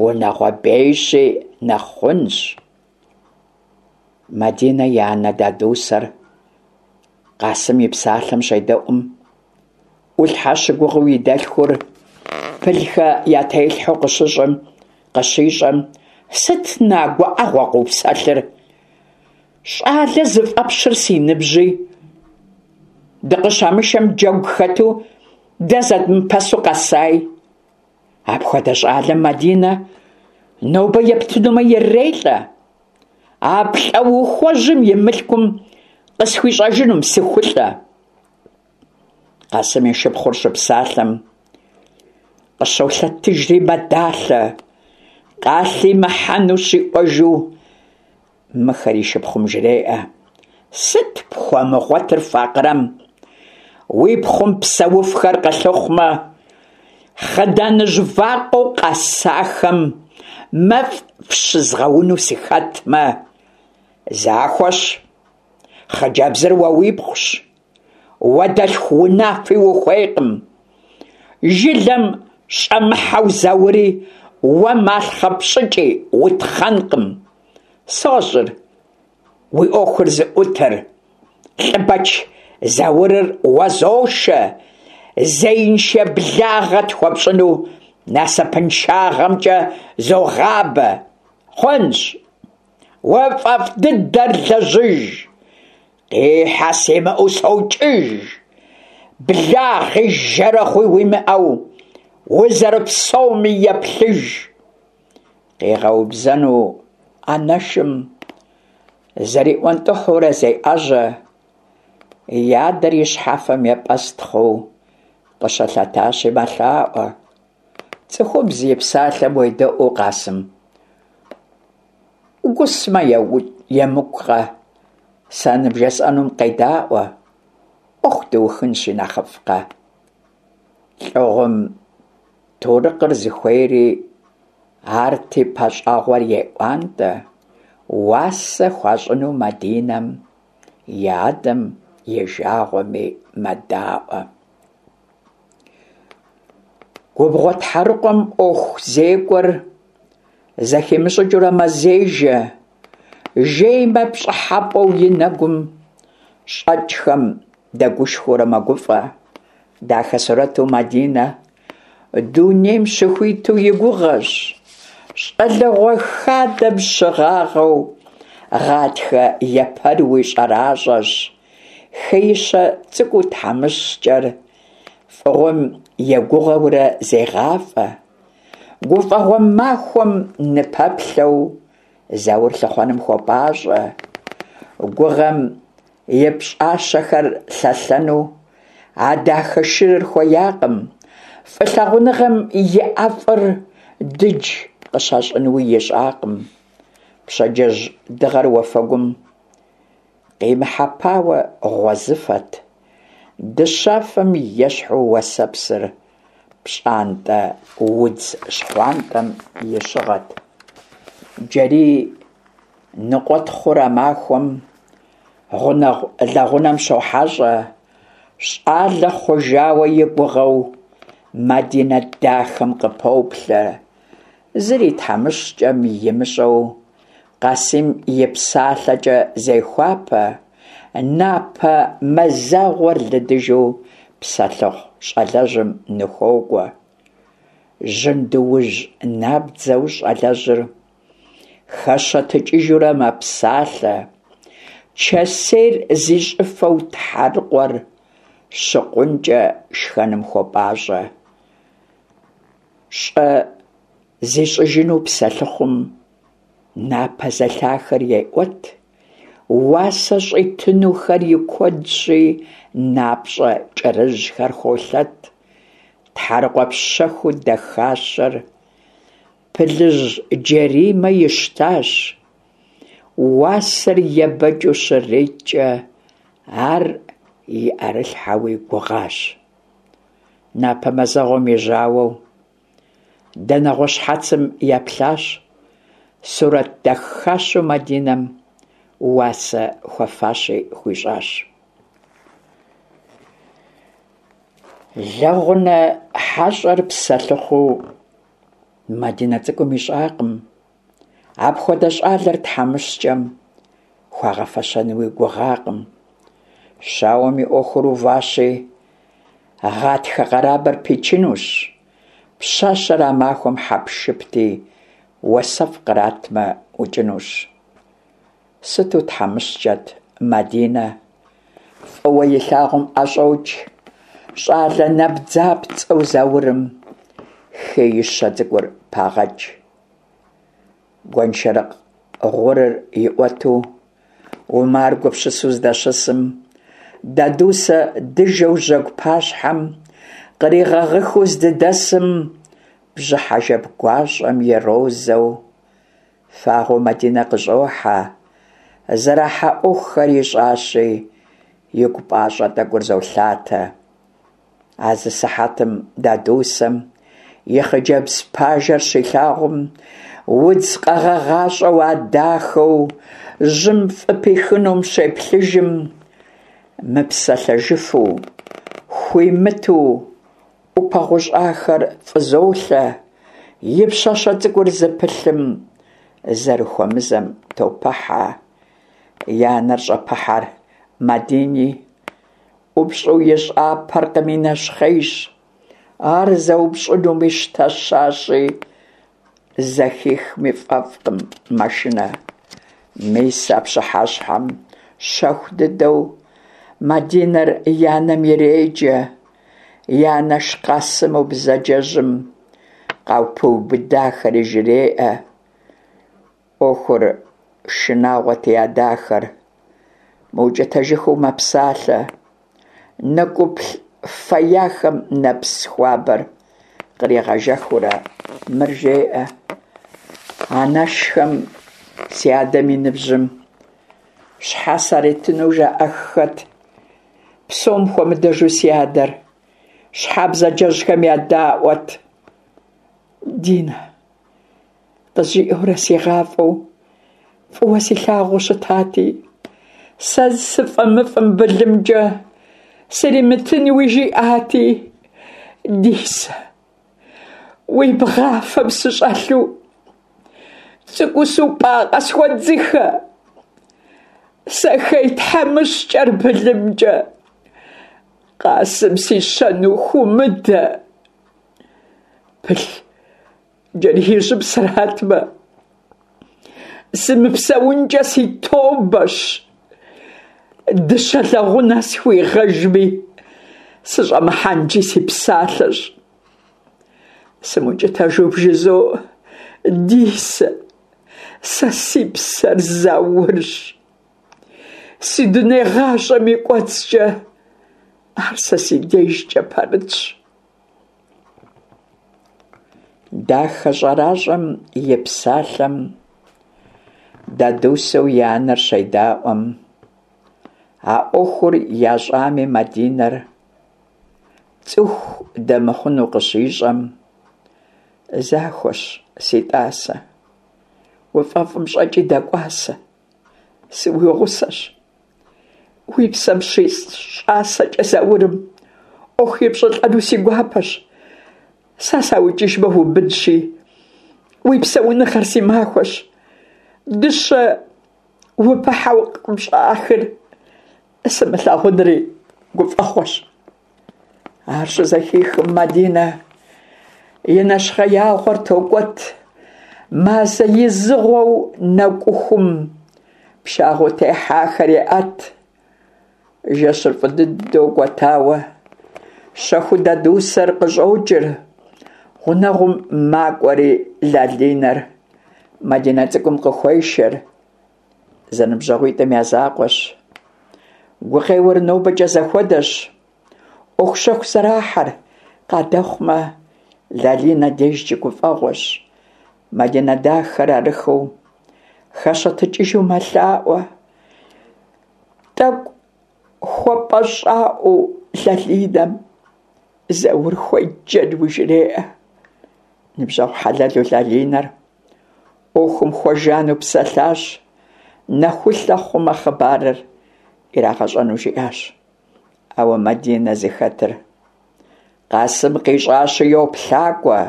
S1: унагъуэ бейщи нэхъ хъунщ. Мадинэ и анэ Дадусэр Къасым и псалъэм щедэӏум, ӏулъхьэ щыгугъыу и дэлъхур Пылхэ я телъхьэу къыщыщӏым, къыщищӏэм, сыт на гуӏэгъуэ къыупсэлъыр? Щӏалэ зыфӏэпщыр си ныбжьи, дыкъыщамышэм джэгу хэту дэ зэдмыпэсу къэсай. Апхуэдэ щӏалэм Мадинэ нобэ ептынумэ ирелӏэ. А плӏэухуэжьым и мылъкум къысхуищӏэжынум сыхулӏэ. Къасым и шыпхъур щыпсалъэм къыщолъэтыжри мэдалъэ, къалъимыхьэну щиӏуэжу мыхэр и шыпхъум жреӏэ. Сыт пхуэмыгъуэтыр факъырэм? Уи пхъум псэуфхэр къылъыхъумэ, хъыданыжь вакъэу къэсахэм мэфӏ фщызгъэуну сыхэтмэ, захуэщ, хъыджэбзыр уэ уипхъущ, уэ дэлъху унафи ухуейкъым. Жылэм щӏэмыхьэу Заури уэ малъхъэ пщӏыкӏи утхъэнкъым. Сощӏыр уи ӏуэхур зыӏутыр, Лӏыбэч Заурыр уэзошэ, зеиншэ благъэ тхуэпщӏыну насыпыншагъэмкӏэ зогъабэ. Хъунщ, уэ пфӏэфӏ дыдэр лэжьыж, къихьэ симыӏэу сокӏыж, благъи жэрэгъуи уимыӏэу узэрыпсэуми еплъыж. Къигъэубзэну анэшым зэриӏуэнтӏыхьурэ зеӏэжьэ, и адэр и щхьэфэм епӏэстхъыу къыщылъэтащи мэлъаӏуэ. Цӏыхубз и псалъэм уедэӏуу, Къасым, ӏугусмэ емыкӏукъэ, сэ ныбжесӏэнум къедаӏуэ, ӏуэху дыухынщи нэхъыфӏкъэ. Лӏыгъум Турыкъыр зыхуейри арти пащӏэгъуэр еӏуантӏэ, уасэ хуащӏыну Мадинэм и адэм и жагъуэми мэдаӏуэ. Губгъуэ тхьэрыкъуэм ӏуэху зекӏуэр зэхимыщӏыкӏыурэ мэзежэ, жеймэ пщӏыхьэпӏэу и нэгум щӏэкӏхэм дэгушхуэурэ мэгуфӏэ. Дахэ сурэту Мадинэ дунейм щыхуиту и гугъэщ. Щӏалэгъуэ хадэм щыгъагъэу гъатхэ епэруи щӏэращӏэщ. Хеищэ цӏыкӏуу тхьэмыщкӏэр фӏыгъуэм егугъэурэ зегъафӏэ. Гуфӏэгъуэ махуэм ныпэплъэу Заур лъыхъуэным хуопӏащӏэ. Гугъэм и пщӏащэхэр лъэлъэну а дахэ шырыр хуеякъым, фӏылъагъуныгъэм и ӏэфӏыр дыдж къыщащӏынуи ищӏакъым. Пщэдджыжь дыгъэр уафэгум къимыхьэпауэ гъуэзыфэт, дыщафэм ещхьу уэсэпсыр пщӏантӏэ удз щхъуантӏэм и щыгъэт. Джэрий ныкъуэтхъур а махуэм гъунэгъу лэгъунэм щохьэщӏэ, щӏалэ хъужауэ и гугъэу Мадинэ дахэм къыпоплъэ. Зыри тхьэмыщкӏэм имыщӏэу Къасым и псалъэкӏэ зехуапэ, напэ мазэгъуэр лыдыжу псэлъыхъу щӏалэжьым ныхуокӏуэ. Жьындуужь набдзэу щӏалэжьыр хэщэтыкӏыжурэ мэпсалъэ, чэсейр зи щӏыфэу тхьэрыкъуэр щыкъункӏэ шхэным хуопӏащӏэ. Щӏэ зищӏыжыну псэлъыхъум напэ зэлъахэр еӏуэт. Уасэ щӏитынухэр и куэдщи, напщӏэ кӏэрыжьхэр холъэт. Тхьэрыкъуэ пщэхуу дахащэр Пылыжь Джэримэ ищтащ. Уасэр ебэкӏыу щреткӏэ, ар и ӏэрылъхьэуи гугъащ. Напэ мазэгъуэм и жьауэу Дэнэгъуэ щхьэцым еплъащ, сурэт дахащэу Мадинэм уасэ хуэфащи хуищӏащ. Лэгъунэ хьэщӏэр псэлъыхъуу Мадинэ цӏыкӏум ищӏакъым. Апхуэдэ щӏалэр тхьэмыщкӏэм хуагъэфэщэнуи гугъакъым. Щауэм и ӏуэхур уващи, гъатхэ къэрабэр пичынущ. Пщащэр а махуэм хьэпшыпти, уасэфӏ къратмэ, ӏукӏынущ. Сыту тхьэмыщкӏэт Мадинэ. Фӏыуэ илъагъум ӏэщӏокӏ. Щӏалэ набдзапцӏэу Заурым хеищэ цӏыкӏур пагъэкӏ. Гуэншэрыкъ гъурыр иӏуэту, Умар гупсысэу здэщысым, Дадусэ дыжэу жьэгу пащхьэм къригъэгъыхыу здыдэсым, бжьыхьэ жэп гуащӏэм и розэу фагъуэу Мадинэ къыщӏохьэ, зэрахьэ ӏуэхухэр ищӏащи, игу пӏащӏэ тӏэкӏур золъатэ. А зы сыхьэтым Дадусэм и хъыджэбз пажэр щилъагъум, удз къэгъэгъащӏэу а дахэу жьым фӏыпихынум щеплъыжым, мыпсэлъэжыфу, хуимыту ӏупэ гъущӏахэр фӏызолъэ, и пщащэ цӏыкӏур зыпылъым зэрыхуэмызэм топыхьэ. И анэр щӏэпыхьэр Мадини, ӏупщӏу ищӏапэркъыми нэщхъейщ. Ар зэупщӏынуми щтэщащи, зэхихми фӏэфӏкъым, мэшынэ. Мис а пщыхьэщхьэм щэху дыдэу Мадинэр и анэм иреджэ, и анэш Къасыму бзаджэжьым къапиубыдахэри жреӏэ. ӏуэхур шынагъуэти а дахэр мыукӏытэжыхыу мэпсалъэ. Нэкӏуплъ феяхэм нэпс хуабэр къригъэжэхыурэ мыр жеӏэ: Анэшхэм си адэм и ныбжьым щхьэ саритыну жаӏэххэт, псом хуэмыдэжу си адэр щхьэ бзаджэжьхэм ядаӏуэт. Динэ. Къызжиӏэурэ сигъафӏэу, фӏыуэ силъагъуу щытати, сэ сыфӏэмыфӏым былымкӏэ сримытынуи жиӏати, Дисэ, уи бгъафэм сыщӏэлъу, цӏыкӏуу супӏа къысхуэдзыхэ, сэ хей тхьэмыщкӏэр былымкӏэ Къасым сищэну хуумыдэ. Пыл Джэриижьым сратмэ, сымыпсэункӏэ си тобэщ. Дыщэ лэгъунэ схуигъэжми, сыщӏэмыхьэнкӏи си псалъэщ. Сымукӏытэжу бжызоӏэ, Дисэ, сэ си псэр Заурщ. Си дуней гъащӏэм и кӏуэцӏкӏэ ар сэ си дежкӏэ пэрытщ. Дахэ щӏэращӏэм и псалъэм Дадусэу и анэр щедаӏуэм, а ӏуэхур ящӏами Мадинэр цӏыху дэмыхъуну къыщищӏэм, захуэщ, си тӏасэ, уфӏэфӏым щӏэкӏи дэкӏуасэ, сыуигъусэщ. Уи псэм щищӏасэкӏэ Заурым ӏуэху епщӏылӏэну си гуапэщ. Сэ саукӏыжмэ убынщи, уи псэуныгъэр си махуэщ. Дыщэ упыхьэу къыпщӏахыр сымылъагъунри гуфӏэгъуэщ. Ар щызэхихым Мадинэ и нэщхъеягъуэр токӏуэт, мазэ изыгъуэу нэкӏухум пшагъуэу техьахэр еӏэт. Жэщыр фӏы дыдэу кӏуэтауэ, щэхуу Дадусэр къыщӏокӏыр, гъунэгъум макӏуэри Лалинэр Мадинэ цӏыкӏум къыхуешэр. зэныбжьэгъуитӏым я закъуэщ. Гукъеуэр нобэкӏэ зэхуэдэщ. ӏуэху щэху зэрахьэр къадэхъумэ, Лалинэ дежкӏи гуфӏэгъуэщ. Мадинэ дахэр арыххэу хэщэтыкӏыжу мэлъаӏуэ. Тӏэкӏу хуэпӏэщӏаӏуэу Лалинэм Заур хуеджэнуи жреӏэ. Ныбжьэгъу хьэлэлу Лалинэр ӏуэхум хуэжану псэлъащ, нэхулъэ хъумэ хъыбарыр ирагъэщӏэну жиӏащ. Ауэ Мадинэ зыхэтыр Къасым къищӏащи йоплъакӏуэ.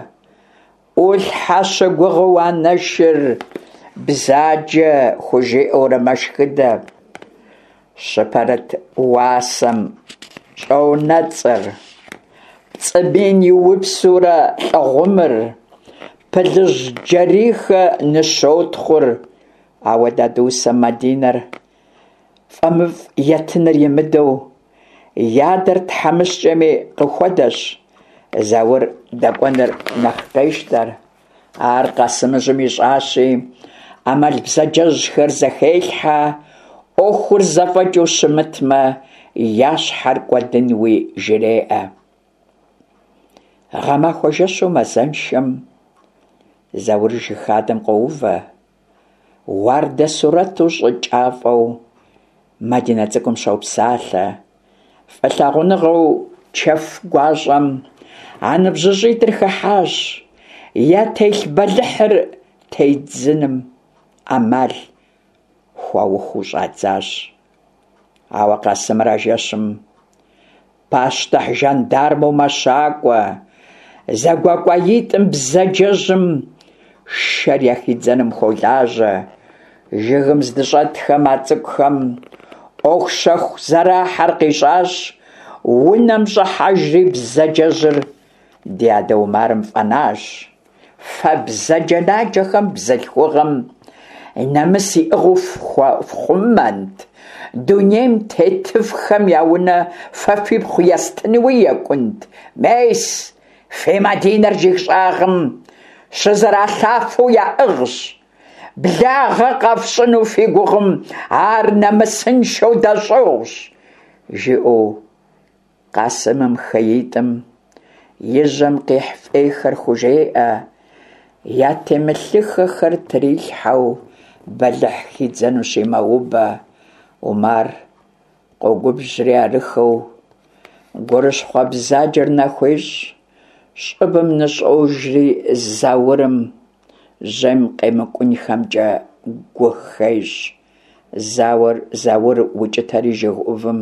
S1: ӏулъхьэ щыгугъыу анэшыр бзаджэ хужиӏэурэ мэшхыдэ. Щыпэрыт уасэм щӏонэцӏыр, пцӏы мин иупсурэ лӏы гъумыр, Пылыжь Джэрийхэ ныщотхъур. Ауэ Дадусэ Мадинэр фӏэмыфӏ етыныр имыдэу, и адэр тхьэмыщкӏэми къыхуэдэщ, Заур дэкӏуэныр нэхъ къещтэр. Ар Къасымыжьым ищӏащи, ӏэмал бзаджэжьхэр зэхелъхьэ, ӏуэхур зэфӏэкӏыу щымытмэ, я щхьэр кӏуэдынуи жреӏэ. Гъэмахуэ жэщу мазэншэм Заур жыг хадэм къоувэ. Уардэ сурэту щӏыкӏафӏэу Мадинэ цӏыкӏум щопсалъэ. Фӏылъагъуныгъэу чэф гуащӏэм а ныбжьыщӏитӏыр хыхьащ, ятелъ бэлыхьыр тедзыным ӏэмал хуаухыу щӏадзащ. Ауэ Къасымыр а жэщым пащтыхь жандармэу мэщакӏуэ, зэгуэкӏуаитӏым бзаджэжьым шэр яхидзэным хуолажьэ. Жыгым здыщӏэтхэм а цӏыкӏухэм ӏуэху щэху зэрахьэр къищӏащ, унэм щӏыхьэжри бзаджэжьыр ди адэ Умарым фӏэнащ. Фэ бзаджэнаджэхэм бзылъхугъэм нэмыс иӏыгъыу фхъумэнт, дунейм тетыфхэм я унэ фэ фипхъу естынуи екӏунт. Мес, фи Мадинэр жыг щӏагъым щызэралъафэу яӏыгъщ. Благъэ къэфщӏыну фи гугъым ар нэмысыншэу дэщӏыгъущ, жиӏэу Къасымым хеитӏым и жьэм къихь фӏейхэр хужеӏэ, ятемылъыххэхэр трилъхьэу бэлыхь хидзэнущи мэубэ. Умар къогубжьри арыххэу гурыщхъуэ бзаджэр нахуещӏ, щӏыбым ныщӏожри Заурым жьэм къемыкӏунхэмкӏэ гу хещӏ. Зауэр Заур укӏытэри жыг ӏувым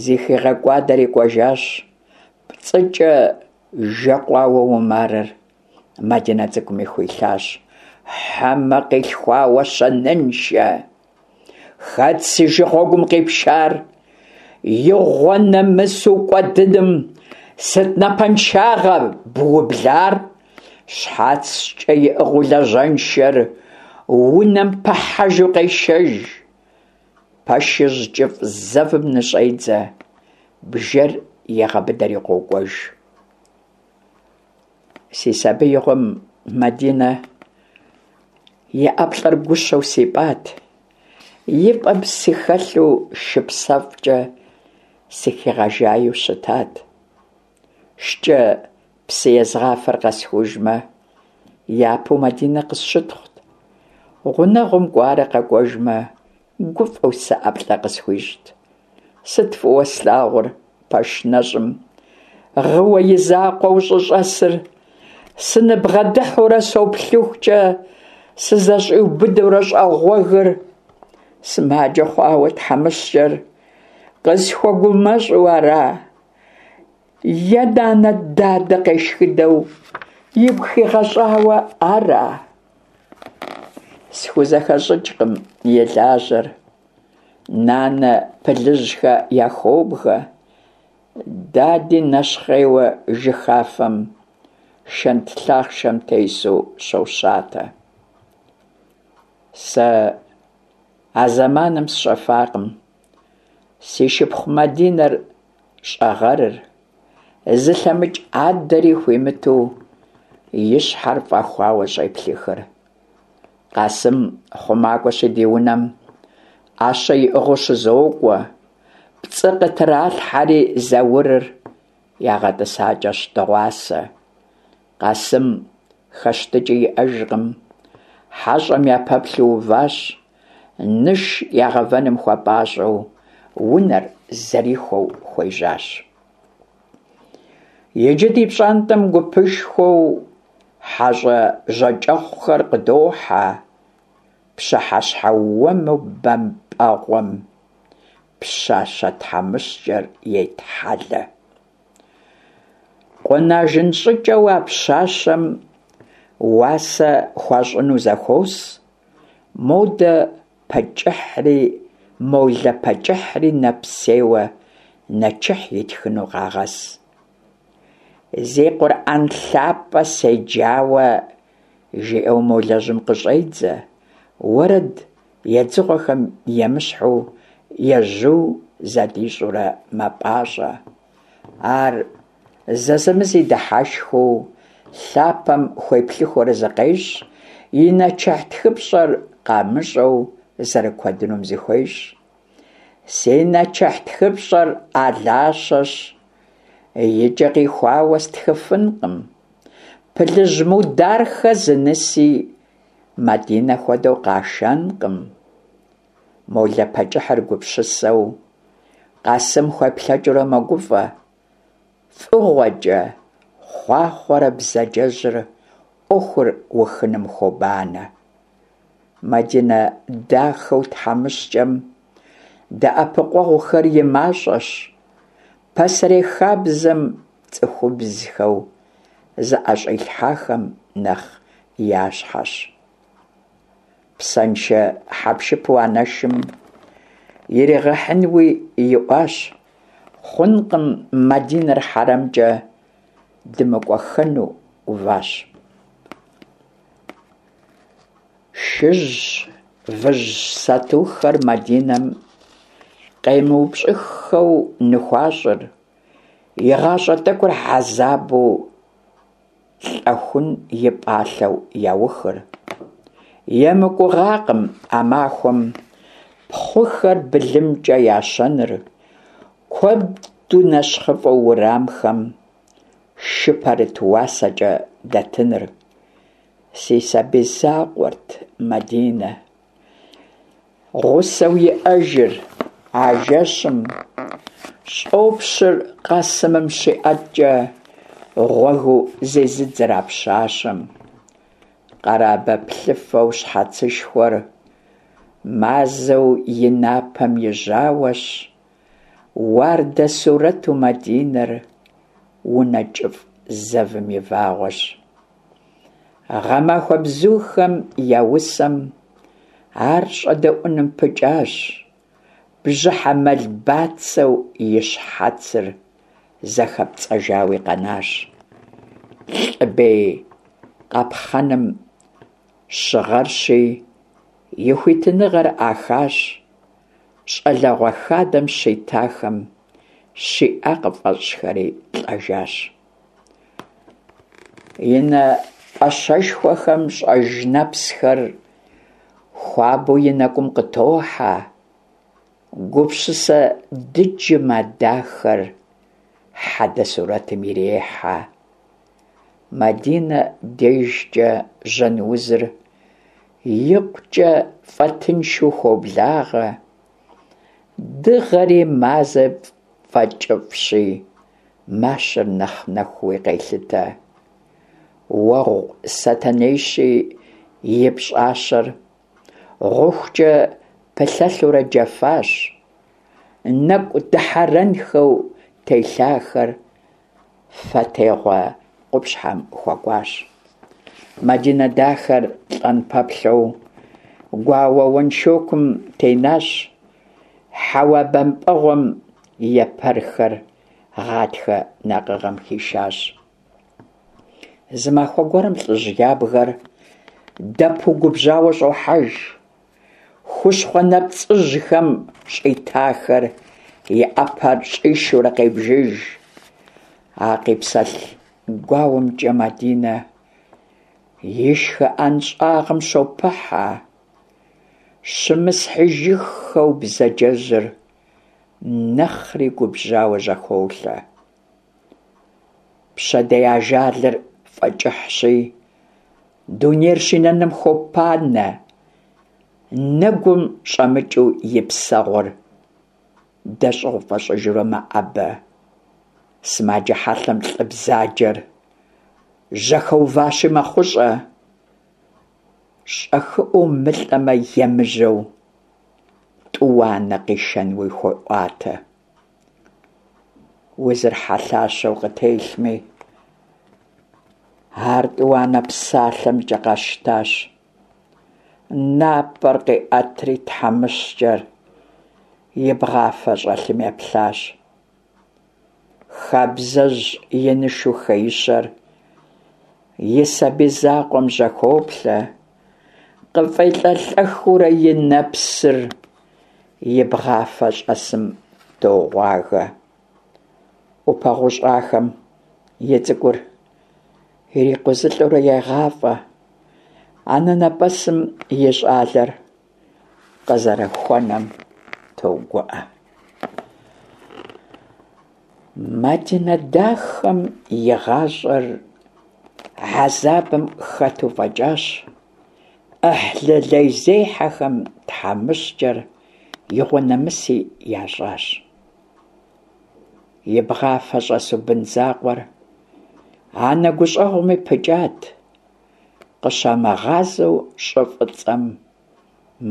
S1: зыхигъэкӏуадэри кӏуэжащ. Пцӏыкӏэ жэкъуауэ Умарыр Мадинэ цӏыкӏуми хуилъащ. Хьэмэ къилъхуауэ щэныншэ! Хэт си жыгъуэгум къипшар? Игъуэ нэмысу кӏуэдыным сыт напэншагъэ быублар? Щхьэцкӏэ иӏыгъыу лажьэншэр унэм пыхьэжу къешэж. Пэшыжь кӏыфӏ зэвым ныщӏедзэ, бжэр егъэбыдэри къокӏуэж. Си сабиигъуэм Мадинэ и ӏэплӏэр гущэу сипӏат, и пӏэм сыхэлъу шыпсэфӏкӏэ сыхигъэжайу щытат. Шкӏэ псы езгъафэр къэсхужмэ, япэу Мадинэ къысщытхъут. Гъунэгъум кӏуарэ къэкӏуэжмэ, гуфӏэу сэ ӏэплӏэ къысхуищӏт. Сыт фӏыуэ слъагъур пэш нэщӏым, гъыуэ и закъуэу щӏыщӏэсыр? Сыныбгъэдыхьэурэ соплъыхукӏэ, сызэщӏиубыдэурэ щӏэгъуэгыр. Сымаджэ хъуауэ тхьэмыщкӏэр къысхуэгумэщӏу ара? Е нанэ дадэ къешхыдэу игу хигъэщӏауэ ара? Схузэхэщӏыкӏкъым и лажьэр. Нанэ Пылыжьхэ яхуобгэ, дади нэщхъейуэ жыхафэм шэнт лъахъшэм тесу щощатэ. Сэ а зэманым сщӏэфакъым си шыпхъу Мадинэр щӏэгъэрыр, зылъэмыкӏ адэри хуимыту и щхьэр фӏэхуауэ щӏеплъыхыр. Къасым хъумакӏуэщи ди унэм. ӏэщэ иӏыгъыу щызокӏуэ. Пцӏы къытралъхьэри Заурыр ягъэтӏысакӏэщ дыгъуасэ. Къасым хэщтыкӏи иӏэжкъым. Хьэщӏэм япэплъэу уващ, ныш ягъэвэным хуэпӏащӏэу унэр зэрихуэу хуежьащ. Иджы ди пщӏантӏэм гупышхуэу хьэщӏэ жьакӏэхъухэр къыдохьэ, пщыхьэщхьэ уэму бэмпӏэгъуэм пщащэ тхьэмыщкӏэр етхьэлэ. Къунажын щӏыкӏэу а пщащэм уасэ хуащӏыну зэхуос, модэ пэкӏыхьри, молэ пэкӏыхьри нэпсейуэ нэчыхь итхыну къагъэс. Зи Къурӏэн лъапӏэ седжауэ, жиӏэу молэжьым къыщӏедзэ, уэрэд едзыгъуэхэм емыщхьу ежьу задищӏурэ мэпӏащӏэ. Ар зэзэмызи дыхьэшхыу, лъапэм хуеплъыхыурэ зыкъещӏ, и нэчыхь тхыпщӏэр къамыщӏэу зэрыкуэдынум зыхуещӏ. Си нэчыхь тхыпщӏэр алащэщ, и кӏэ къихуауэ стхыфынкъым. Пылыжь Мудархэ зы ныси Мадинэ хуэдэу къашэнкъым. Молэ пэкӏыхьыр гупсысэу, Къасым хуеплъэкӏыурэ мэгуфӏэ. Фӏыгъуэкӏэ хъуахъуэрэ бзаджэжьыр ӏуэхур ухыным хуобанэ. Мадинэ дахэу тхьэмыщкӏэм дэӏэпыкъуэгъухэр и мащӏэщ. Пасэрей хабзэм цӏыхубзхэу зыӏэщӏилъхьахэм нэхъ я щхьэщ. Псэншэ хьэпшыпу анэшым иригъэхьынуи иӏуащ. Хъункъым Мадинэр хьэрэмкӏэ дымыкӏуэххэну уващ. Шыжь, выжь сатухэр Мадинэм къемыупщӏыххэу ныхуащӏыр, и гъащӏэ тӏэкӏур хьэзабу лӏэхун и пӏалъэу яухыр. Емыкӏугъакъым а махуэм пхъухэр былымкӏэ ящэныр, куэду нэщхъыфӏэу уэрамхэм шы пэрыт уасэкӏэ дэтыныр. Си сабий закъуэрт Мадинэ. Гъусэу иӏэжыр а жэщым щӏопщыр Къасымым щиӏэткӏэ гъуэгыу зезыдзэр а пщащэм. Къэрабэ плъыфэу щхьэцышхуэр мазэу и напэм и жьауэщ, уардэ сурэту Мадинэр унэ кӏыфӏ зэвым и вагъуэщ. Гъэмахуэ бзухэм я усэм ар щӏэдэӏуным пыкӏащ, бжьыхьэ мэл бацэу и щхьэцыр зэхэпцӏэжауи къэнащ. Лӏы бей къапхъэным щыгъэрщи, и хуитыныгъэр ӏахащ, щӏалэгъуэ хадэм щитахэм щиӏа къыфӏэщӏхэри лӏэжащ. И нэ пӏащэшхуэхэм щӏэж нэпсхэр хуабэу и нэкӏум къытохьэ, гупсысэ дыджым а дахэр хьэдэ сурэтым ирехьэ. Мадинэ дежкӏэ жьэн узыр икъукӏэ фӏэтыншу хуоблагъэ, дыгъэри мазэ фӏэкӏыфӏщи, мащэр нэхъ нэхууи къелъытэ. Уэгъу сэтэнейщи и пщӏащэр гъухукӏэ пылъэлъурэ джэфащ, нэкӏу дыхьэрэнхэу телъахэр фэтегъуэ къупщхьэм хуэкӏуащ. Мадинэ дахэр лӏэн пэплъэу гуауэ уэншокум тенащ, хьэуа бэмпӏэгъуэм епэрхэр гъатхэ накъыгъэм хишащ. Зы махуэ гуэрым лӏыжь ябгэр дэпу губжьауэ щӏохьэж. Хущхъуэ нэпцӏыжьхэм щӏитахэр и ӏэпэр щӏишурэ къебжыж. А къипсэлъ гуауэмкӏэ Мадинэ и шхыӏэн щӏагъым щопыхьэ. Щымысхьыжыххэу бзаджэжьыр нэхъри губжьауэ жьэхолъэ. Пщэдей ажалыр фӏэкӏыхьщи, дунейр щинэным хуопанэ, нэгум щӏэмыкӏыу и псэгъур дэщӏыгъу фӏэщӏыжурэ мэӏэбэ. Сымаджэ хьэлъэм лӏы бзаджэр жьэхэуващи мэхъущӏэ. Щӏэхыӏуэу мылӏэмэ емыжьэу, тӏуанэ къишэнуи хуеӏуатэ. Узыр хьэлъащэу къытелъми, ар тӏуанэ псалъэмкӏэ къэщтащ. Напӏэр къиӏэтри тхьэмыщкӏэр и бгъафэ щӏэлъым еплъащ. Хабзэжь инышу хеищэр и сабий закъуэм жьэхоплъэ, къыфӏелӏэлӏэхыурэ и нэпсыр и бгъафэ щӏэсым тогъуагэ. ӏупэ гъущӏахэм и цӏыкӏур ирикъузылӏэурэ егъафӏэ, анэнэпӏэсым и щӏалэр къызэрыхуэнэм тогуӏэ. Мадинэ дахэм и гъащӏэр хьэзабым хэту фӏэкӏащ, ӏыхьлы лейзехьэхэм тхьэмыщкӏэр игъуэнэмыси ящӏащ. И бгъафэ щӏэсу бын закъуэр анэ гущӏэгъуми пыкӏат, къыщамыгъазэу щӏы фӏыцӏэм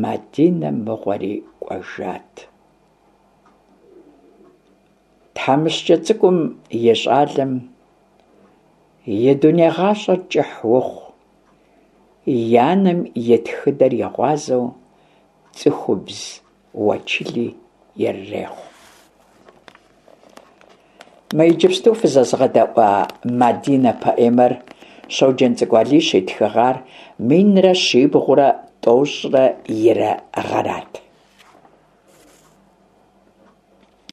S1: Мадинэ мыгъуэри кӏуэжат. Тхьэмыщкӏэ цӏыкӏум и щӏалэм и дуней гъащӏэр кӏыхь ухъу, и анэм и тхыдэр и гъуазэу цӏыхубз уэчыли ирырехъу. Мы иджыпсту фызэзгъэдэӏуа Мадинэ поэмэр Щоджэнцӏыкӏу Алий щитхыгъар минрэ щибгъурэ тӏощӏрэ ирэ гъэрат.